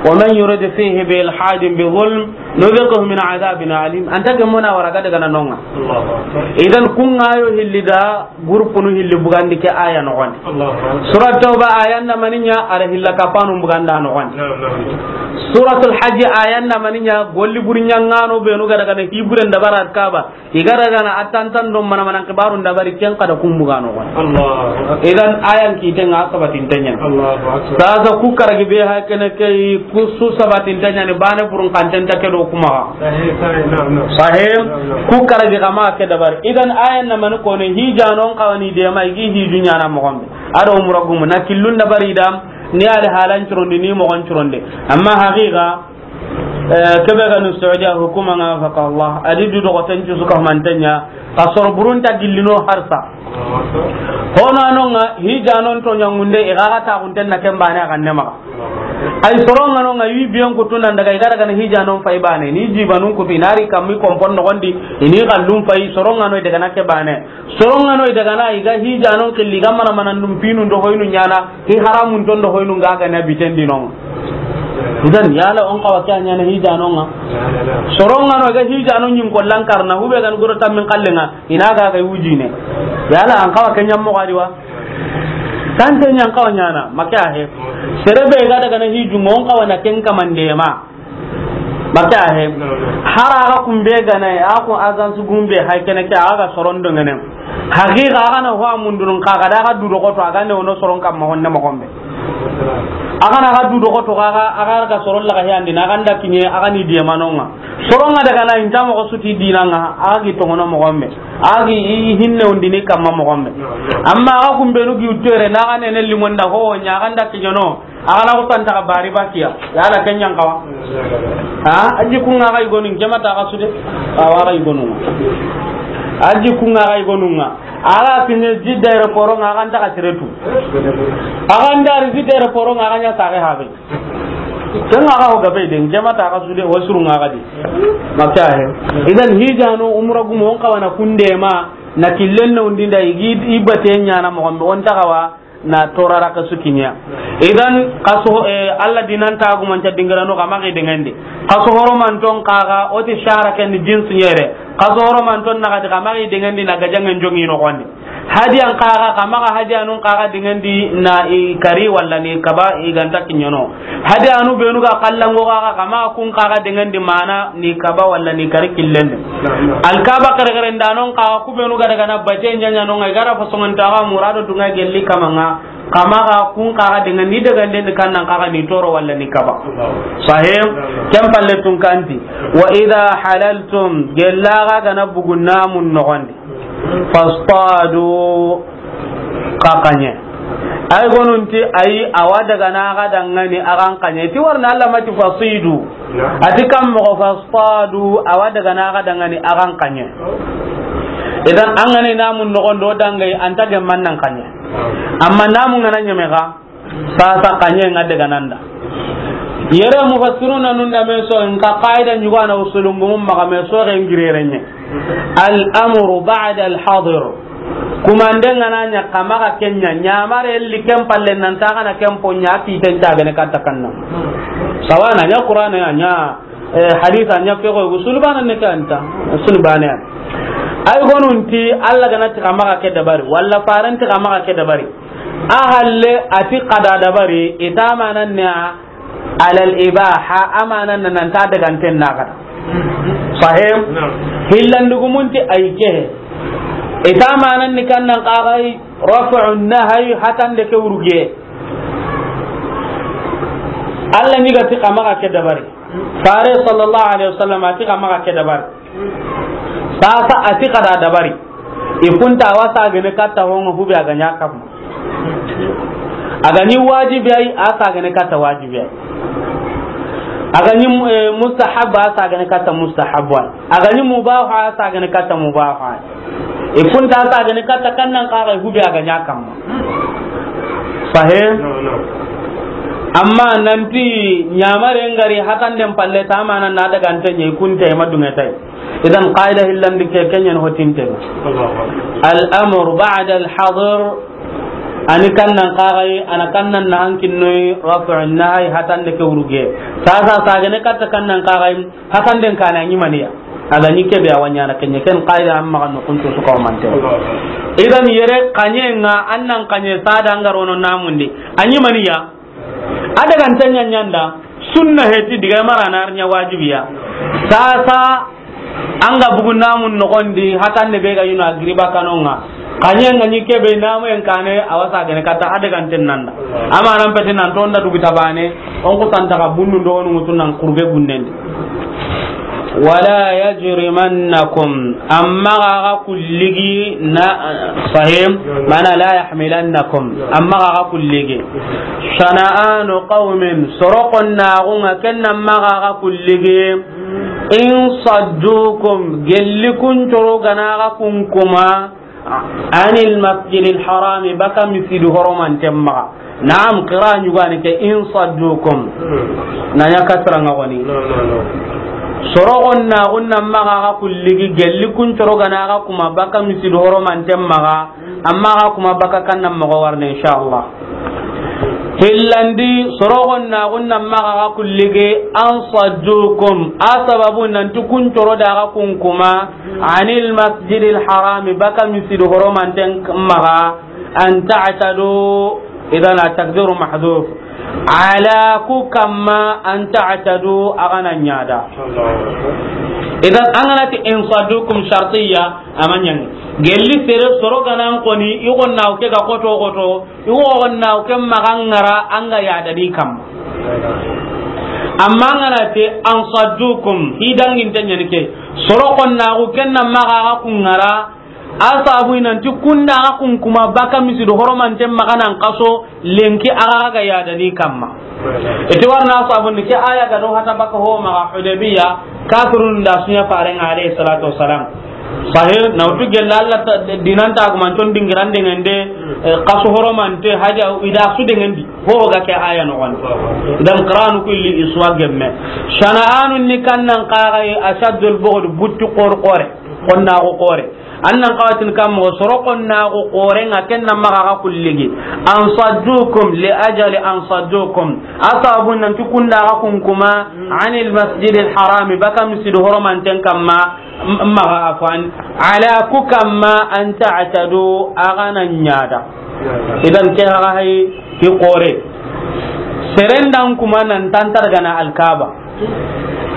Wa man yurid fihi bi ilhadin bi zulm nudhiqhu min adhabin alim. Anta gemmona wara ga daga na nonŋa. Idan kunŋa yo hilli da gurpunu hilli bugandi ke aya noxondi. Surat Tawba ayan na maniɲa, a ra hilla kapanu buganda noxondi. Suratul Hajj ayan na maniɲa, golli buri ɲaŋano benu ga daga na hiburen dabara Kaaba. I ga daga na a tantan do mana mana kibaru dabari, ken xa da kun bugano. Allahu Akbar. Idan ayan kiten ŋa sabatinten ɲa. Allahu Akbar. Sasa ku karagi be ha kene ke, ku su sabatinten ɲa ni bane burun kanten ta ke do kuma. Sahih, sahih, naam, naam. Sahih. Naam, naam. Ku karagi kama ke dabari. Idan ayan na mani ko ne hijanon kawani de ma i gi hiju ɲana moxon be. A do umra gumu na killun dabari da ni a da halan curondi ni moxon curonde. Amma haqiqa, Eh, kebe ga nu Saudiya hukuma ŋa, faka Allah, a di du doxoten cu su ka humanten ɲa, ka soro burun ta gillino harsa. Hono a no ŋa, hijanon to ɲaŋunde, i ga ga taaxunten na ken baane a ga ne maxa. Ay soron ŋa no ŋa, i biyen kutu nan daga, i ga daga na hijanon fay baane, ni jibanun kutu, i na ri kammi kompon noxon di, i ni xallun fay, soron ŋa no i daga na ke baane. Soron ŋa no i daga na, i ga hijanon xilli, i ga mana mana ndum pinun do hoynu ɲaana, i haramun ton do hoynu ŋa ga na biten di no ŋa. Idan, yala o n xawa ke a ɲaana hijanon ŋa? Soron ŋa no i ga hijanon ɲin kollan karna, hube ga n goro tammin xallen ŋa, i na ga ga wujine. Yala an xawa ke ɲammo ga di wa? Tante ɲan xawa ɲaana, ma ke a he. Sere be ga daga na hijun ŋa, o n xawa na ken kamande ma. Ma ke a he. Hara a ga kumbe ga na, a ku agence gumbe hay kene ke, a ga soron do ŋene. Haqiqa a ga na ho a mundunun xa, a ga da ga du do xoto, a ga ne wono soron kamma honne moxon be. A ga na ga du do xoto, a ga, a ga ga soron la ga he andi, na ga nda kiɲe, a ga ni diemanon ŋa. Soron ŋa daga na inta moxo suti dinan ŋa, a gi tongono moxon be. A gi i hinne undini kamma moxon be. Amma a ga kumbenu gi uttere, na ga ne ne limonda ho, ɲa ga nda kiɲono. A ga na ko tanta ka bari bakiya. Yala ken ɲan xawa? Ha? A jikun ŋa ga i gonun, jama ta ga su de. A wa ga i gonun. A jikun ŋa ga i gonun ŋa. A ga kiɲe Jidda aéroport ŋa, a ga nta ka sere tu. A ga nda ri Jidda aéroport ŋa, a ga ɲa sage habe. Ken ŋa ga ho gabe de, jama ta ga su de, wa suru ŋa ga di. Ma ke a he. Idan hijano umra gumo o n xawa na kunde ma, na killen na undinda i gi i bate ɲaana moxon be, o n ta xawa na torara ka su kiɲa. Idan, kaso, eh, Allah dinan ta gumanca dingirano xa maxa i dengendi. Kaso horomanton xa ga, o ti shahra ken jinsu ɲere. Kaso horomanton na xa di xa maxa i dengendi na gajangen joŋi noxon di. Hadiyan xa ga, xa maxa hadiyanun xa ga dengendi na i kari walla ni kaba i ga nta kiɲono. Hadiyanu benu ga kallango xa ga, xa maxa kun xa ga dengendi mana ni kaba walla ni kari killen di. Alkaba kare kare ndanon xa ga, ku benu ga daga na bate ɲaɲanon ŋa, i ga ra fasongon ta ga murado dunga gelli kama ŋa, xa maxa kun xa ga dengendi, daganden di kannan xa ga ni toro walla ni kaba. Sahih? Ken palle tun kanti. Wa idha halaltum, gella xa ga na bugu namun noxon di. Fastadu, xa kaɲe. Ay gonun ti ay, a wa daga na xa dangani a xa n kaɲe. Ti warna Allah ma ti fasidu. A ti kam moxo fastadu, a wa daga na xa dangani a xa n kaɲe. Idan an ga ni namun noxon do dangai, an ta gemman nan kaɲe. Amma namun ga na ɲeme xa, Sasa kaɲe ŋa daga nanda. Yere mufassiruna nun da me so, in ka qaida ɲugana usulun gumun maxa me so ren girere ɲe. Al amru ba'da al hadir. Kumande ŋa na ɲa xa maxa ken ɲa, ɲamare li ken palle nan ta xa na ken po ɲa, ki ten ta gane katta kanna. Sawa na ɲa Qur'ana ya ɲa, eh, haditha ɲa, fexo usul bana ne kanta, usul bana ya. Ay gonun ti Allah ga na ti xa maxa ke dabari, walla faran ti xa maxa ke dabari. A halle a ti xa da dabari, i ta manan ne alal ibaha, a manan na nan ta daganten na xa da. Sahih? Naam. Hillandugumun ti ay ke. I ta manan ni kannan xa ga yi, raf'un nahy, hatande ke wurge. Allah ni ga ti xa maxa ke dabari. Fare sallallahu alaihi wasallam a ti xa maxa ke dabari. Sasa a ti xa da dabari. I kunta a wa sagene katta hongo hube a ga ɲa kam. A ga ɲi wajibi ay, a sagene katta wajibi ay. A ga ɲi, eh, mustahab, a sagene katta mustahab ay. A ga ɲi mubah, a sagene katta mubah ay. I kunta a sagene katta kannan xa ga hube a ga ɲa kam. Sahih? No, no. Amma nanti ɲamare ngari hatanden palle ta manan na daganten ɲe, i kunta i ma dunge tay. Idan qaida hillandi ke, ken ɲa ni hotinte. Allahu akbar. Al amru ba'da al hadir. Ani kannan xa ga yi, a na kannan na hankinnoyi, raf'un nahy, hatande ke wurge. Sasa sagene katta kannan xa ga yi, hatanden kane a ɲi maniya. A ga ɲi kebe a wa ɲana ken ɲa, ken qaida amma kan no kunto su ka o mante. Allahu akbar. Idan yere kaɲe ŋa, an nan kaɲe sada an ga ro no namundi. A ɲi maniya. A daganten ɲa ɲanda, sunna heti diga mara na ɲa wajibiya. Sasa, an ga bugu namun noxon di, hatande be ga yuna giriba kanonga. Kaɲe ŋa ɲi kebe namu en kane, a wa sagene katta a daganten nanda. Ama nan peti nan tonda dugu tabane, on ku santa ka bundu ndo onu mutu nan kurbe bunnen di. Wala yajrimannakum, amma ga ga kulligi na, sahim, mana la yahmilannakum, amma ga ga kulligi. Shana'anu qawmin, sorokon na gunga kenna amma ga ga kulligi. In saddukum, gelli kun coro gana ga kun kuma, anil masjidil harami, baka misidu horomanten maxa. Naam, qira ɲugani ke, in saddukum. Na ɲa kasra ŋa goni. Soro xonnaxun nan maxa xa kulligi, gelli kun coro gana xa kuma baka misidu horomanten maxa. Amma xa kuma baka kannan moxo warne, inshallah. Hillandi, soro xonnaxun nan maxa xa kulligi, an saddukum, a sababu nanti kun coro da xa kun kuma, anil masjidil harami, baka misidu horomanten maxa, an ta'tadu, idan at-taqdiru mahdhuf. Ala ku kamma an ta'tadu, a gana ɲada. Idan an gana ti in saddukum shartiyya, a ma ɲangi. Gelli sere soro ganan koni, i xonnaxu ke ga xoto xoto, i xonnaxu ke maxa ŋara, an ga yadani kamma. Amma an gana ti an saddukum, hi danginte ɲani ke. Soro xonnaxu ken nan maxa xa kun ŋara, a sabu i nanti kunda xa kun kuma baka misidu horomanten maxa nan xaso lenki a ga yadani kamma. Iti warna sabu ni ke aya ga do hata baka ho maxa Hudaybiya, kafirun da su ɲa faren ŋa alayhi salatu wassalam. Sahih, na wutu gella Allah ta, dinan ta kuma ton dingiran dengende, eh, xaso horomante haja ida su dengendi. Ho ga ke aya no wan. Dan Qur'an kulli iswa gemme. Shana'anun ni kannan qaga ashaddul bughd, buttu qor qore. Xonnaxu xore. An nan xawatin kam moxo soro xonnaxu xoren ŋa ken nan maxa xa kulligi. An saddukum li ajali an saddukum. A sababu nanti kunda xa kun kuma anil masjidil harami, baka misidu horomanten kamma, m-, maxa afwan. Ala ku kamma an ta'tadu, a gana ɲada. Idan ke xa hay ki xore. Seren dan kuma nan tantar gana Alkaba.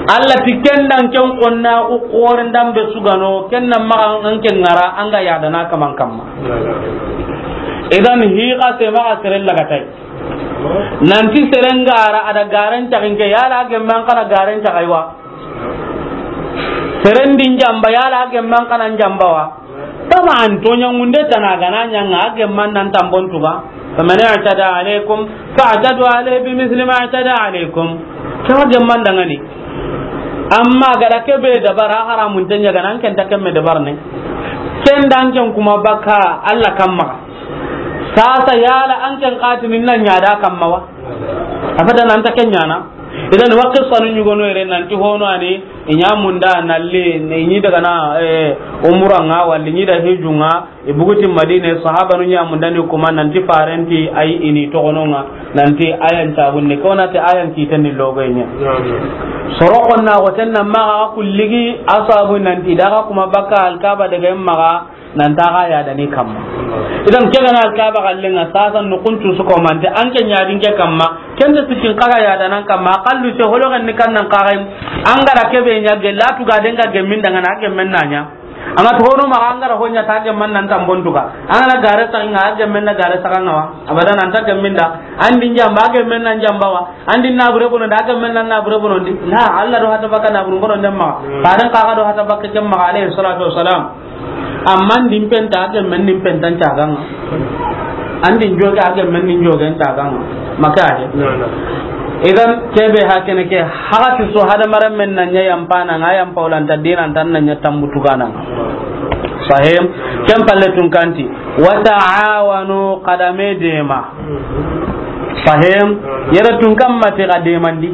Allah ti ken dan ken xonnaxu xoren dan be sugano, ken nan maxa an ken ŋara, an ga yadana kaman kamma. Idan hi xa se maxa seren lagatay. Nanti seren gara, a da garen taxin ke, yala gemman kana garen taxay wa. Seren din jamba, yala gemman kana jamba wa. Taman, toɲangunde tana gana ɲanga, a gemman nan tambon tuga. Faman i'tada alaykum fa'tadu alayhi bimithli ma i'tada alaykum. Kama gemman dangani. Amma gada kebe dabara haramun tanya gana, an ken ta kemme dabar ne. Ken dan ken kuma baka Allah kamma. Sasa yala an ken xatini nan ɲada kamma wa. Abadan an ta ken ɲana. Idan wa qissanu ɲugono yere nanti hono ani, i ɲa munda nalli, i ɲi daga na, eh, umura ŋa, walla i ɲi da hiju ŋa, i buguti Madina, sahabanu ɲa munda ni kuma nanti farenti ay ini toxono ŋa, nanti ayan tabunni, ko na ti ayan kiteni logo ɲa. Soro xonnaxu ten nan maxa kulligi, a sabu nanti daga kuma baka Alkaba daga maxa, nan ta xa yadani kamma. Idan ke gana Alkaba xallen ŋa sasa no kuntu su ko mante an ke ɲadin ke kamma. Ken de sikin xa ga yadanan kamma. Kallu se holo ganni kannan xa ga an gara kebe ɲa gella tu ga den ga gemmin dangana gemmen na ɲa. An ga to hono maxa an gara ho ɲa ta gemman nan tambon tuga. An gara gare sa ŋa gemmen na gare sa ŋa wa. Abadan an ta gemmin da. An din jamba gemmen nan jamba wa. An din nabure bono da gemmen nan nabure bono di. Na Allah do hata baka nabure bono ndemma. Faran xa ga do hata baka kemma alayhi salatu wassalam. Amma an din penta, a gemmen din pentan caganga. An din joge, a gemmen din jogen caganga. Maka he. Idan kebe hakene ke, hagati so hadamaren men na ɲa yampana, nga yampa wala nta dinan tan na ɲa tambutu gana. Sahim, ken palle tun kanti. Wa ta'awanu, kadame dema. Sahim, yere tun kamma te kademandi.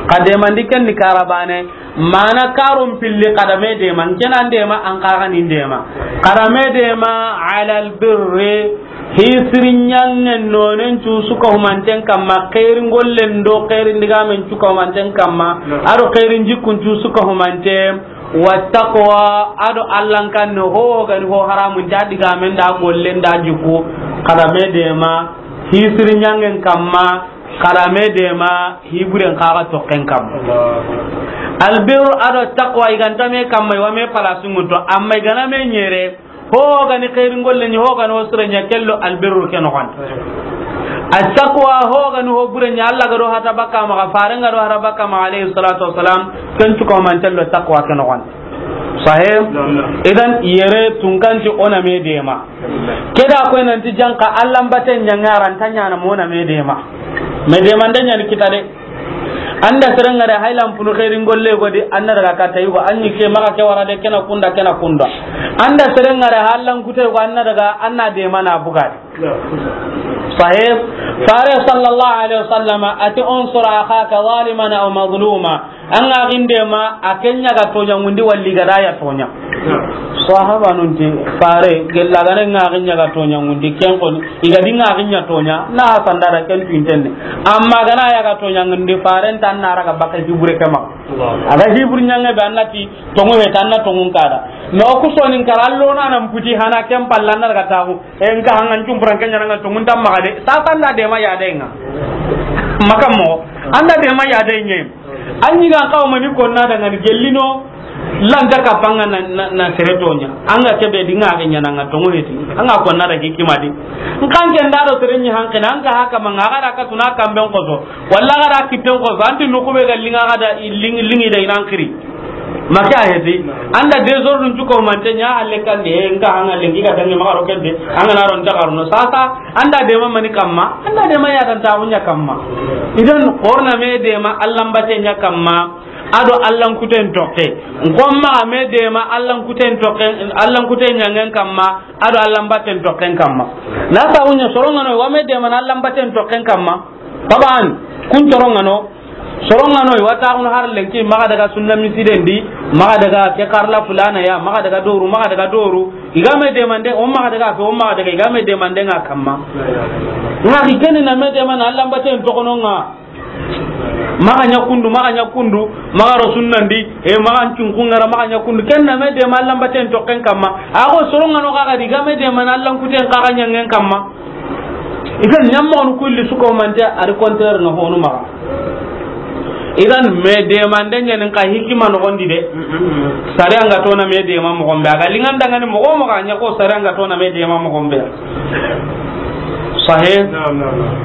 Kademandi ken ni karabane. Mana karun pilli kadame dema, n kena ndema, an kaga ni ndema. Kadame dema, alal birri, hisiri ɲangen nonen cu suka humanten kamma, xeeri ngollen do xeeri ndigamen cuka humanten kamma, ado xeeri njikkun cu suka humante, wa taqwa, ado Allan kanne ho gani ho haramun ta digamen da gollen da jikku, kadame dema, hisiri ɲangen kamma, Xara me dema, hiburen xaxa toxen kam. Allahu akbar. Albirru ado taqwa, i ganta me kamma, i wa me palasu ŋuto, amma i gana me ɲere, ho gani xeeri ngolle ɲi, ho gani ho sire ɲa, kello albirru ke noxon. Attaqwa, ho gani ho bure ɲa, Alla ga do hata bakka maxa, Faren ga do hata bakka maxa, alayhi salatu wassalam, ken cuka mantello taqwa ke noxon. Sahih? Naam, naam. Idan, yere tunkanti o na me dema. Ke da koy nanti janka Alla mbaten ɲaŋa, a ra nta ɲaana mo na me dema. Me dema nda ɲaani kita de. An da seren ŋa da hay lampunu xeerin golle go di, an na daga katta yugo, an ɲi ke maxa ke wara de, ke na kunda, ke na kunda. An da seren ŋa da hallan kute go, an na daga, an na deema na buga de. Sahih. Fare sallallahu alaihi wasallam a ti, "Unsur akhaka zaliman aw mazluma." An ga ginde ma a ke ɲa ga toɲa ŋundi walli ga da ya toɲa. Sahabanun ti, Fare, gella ga ne ŋa gin ɲa ga toɲa ŋundi, ken xo ni, i ga di ŋa gin ɲa toɲa, na sanda da ken tu intenne. Amma ga na ya ga toɲa ŋundi, Fare nta na ra ga baka hibure ke ma. A ga hibur ɲaŋe be, an na ti, tongu he, tan na tongun kada. No ku sonin kara, allo na nan puti hana ken palla na daga taxu. E, n ka hangan cum furan ken ɲa na ŋa tongun tam maxa de. Sasa an da deema ya de ŋa. Maka mo, an da deema ya de ɲe. An ɲi ga n xawa mani konna da ŋa ni gellino. Lanta kappa ŋa na, na, na sere toɲa. An ga ke be di ŋa ke ɲa na ŋa tongu he ti. An ga konna da hikima di. N kan ken da do sere ɲi hanke na, an ka haka ma ŋa ga da ka tuna kamben koso. Walla ga da kitten koso, an ti nuku be ga linga ga da i ling-, lingi da i nan kiri. Maka heti, an da désordre cuko mante ɲa, alle kan de, e, n ka hanga lengi ga dangi maxa ro ken de, an ga na ro nta xaruno. Sasa, an da deema mani kamma, an da deema ya dan ta ɲa kamma. Idan, xo na me deema Allan batte ɲa kamma, a do Allan kuten tokke. N ko maxa me deema Allan kuten tokke, Allan kuten ɲaŋen kamma, a do Allan batten tokken kamma. Na sa ɲa soro ŋa no, wa me deema na Allan batten tokken kamma. Taban, kun soro ŋa no, soro ŋa no, i wa taxunu har lenki, maxa daga sunna misiden di, maxa daga ke karla fulana ya, maxa daga doru, maxa daga doru, i ga me deemande, o maxa daga fe, o maxa daga, i ga me deemande ŋa kamma. Ŋa ki keni na me deema na Allan batten tokono ŋa. Maxa ɲa kundu, maxa ɲa kundu, maxa ro sunnan di, e, maxa n cunkun ŋa ra, maxa ɲa kundu, ken na me deema Allan batten tokken kamma. A xo soro ŋa no xa ga di, i ga me deema na Allan kuten xa ga ɲaŋen kamma. Idan ɲammoxonu kulli suko mante, a ri contraire no honu maxa. Idan me deemande ɲanin xa hikima noxon di de. Sare an ga tona me deema moxon be. A ga lingan dangani moxo moxo a ɲa xo sare an ga tona me deema moxon be. Sahih? Naam, naam, naam.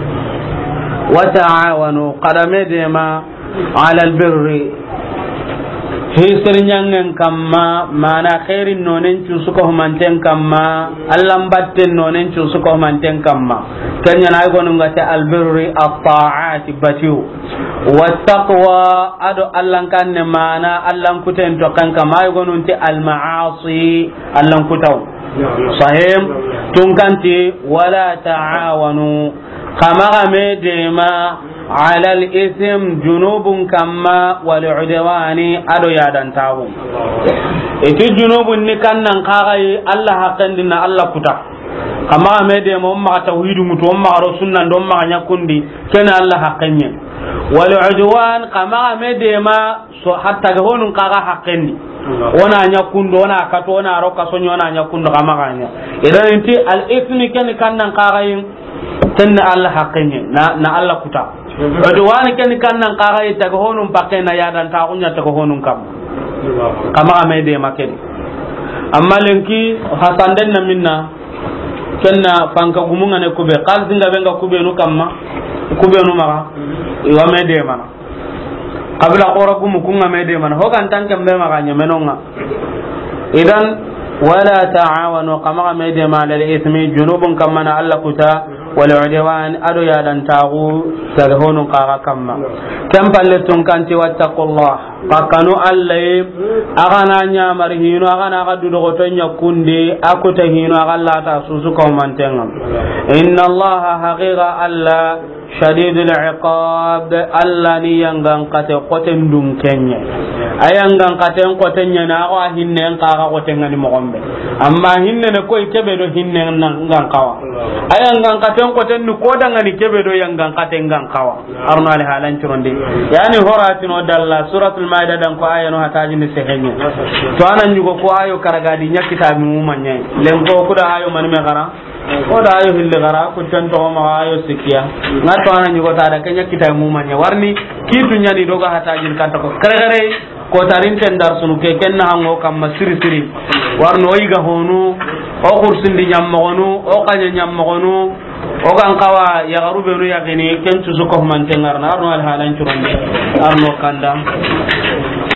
Wa ta'awanu, xa da me deema, ala albirri, hisir ɲaŋen kamma, mana xeerin nonen cu suko humanten kamma, Allan batten nonen cu suko humanten kamma. Ken ɲa na ay gonu ŋa te albirri, at-ta'ati, batiyu. Wa taqwa, a do Allan kanne, mana Allan kuten tokken kamma, ay gonu nti al-ma'asi, Allan kutaw. Sahih? Tun kan ti, wala ta'awanu, xa maxa me deema, ala al-ithm, junubun kamma, wal udwani, a do yadantaxu. I ti junubun ni kan nan xa ga yi Alla haqqen di na Alla kuta. Xa maxa me deema, o maxa tawhidu ŋutu, o maxa ro sunnan do, o maxa ɲa kundi, ken Alla haqqen ɲa. Wal udwan, xa maxa me deema, so, hatta ga honun xa ga haqqen di. O na ɲa kundu, o na kato, o na ro kaso ɲa, o na ɲa kundu, xa maxa ɲa. Idan i ti al-ithmi ken kan nan xa ga yi, ken na Alla haqqen ɲa, na, na Alla kuta. Udwani ken kan nan xa ga yi, taga honun pakke na yadantaxu ɲa taga honun kamma. Xa maxa me deema ken. Amma lenki hasanden na minna, ken na fanka gumun ŋa ne kube, xalisi nga be nga kubenu kamma, kubenu maxa, i wa me deemana. Qabila xora gumu kun ŋa me deemana, ho ga nta n ken be maxa ɲemeno ŋa. Idan, wala ta'awanu, xa maxa me deema, ala al-ithmi, junubun kamma na Alla kuta, wal udwan, a do yadantaxu, taga honun xa ga kamma. Ken palle tun kan ti wattaqullah, xa kanu Alla yi, a ga na ɲamari hinu, a ga na xa du dogoto ɲa kundi, a kuta hinu, a ga Alla ta su suko humanten ŋa. Inna Allaha, haqiqa Alla, shadidul iqab, Alla ni yangan xate xoten dunke ɲa. A yangan xaten xoten ɲa na, a xo a hinnen xa ga xoten ŋa ni moxon be. Amma hinne ne koy kebe do hinnen nan gan xawa. A yangan xaten xoten ni ko dangani kebe do yangan xaten gan xawa. Arno ali halan curondi. Yani horatino dalla Suratul Maida dan ko ayano hataji ni sehenye. To anan yugo ko ayo karagadi ɲa kitabi mu manye. Len ko kuda ayo mani me xara. Ko da ayo hilli xara, ku ten toxo maxa ayo sikkiya. Nga to ana ɲugo ta da, ke ɲa kitabi mu manye. Warni kitu ɲani do ga hata jin kanta ko. Kere kere, ko tarin ten dar sunu ke, ken na hango kamma siri siri. Warno o yiga honu, o kursindi ɲammoxonu, o kaɲa ɲammoxonu, o gan xawa yaxaru benu yaxini, ken cusu ko humanten ŋa ra na, arno alhalan curonde, arno kanda.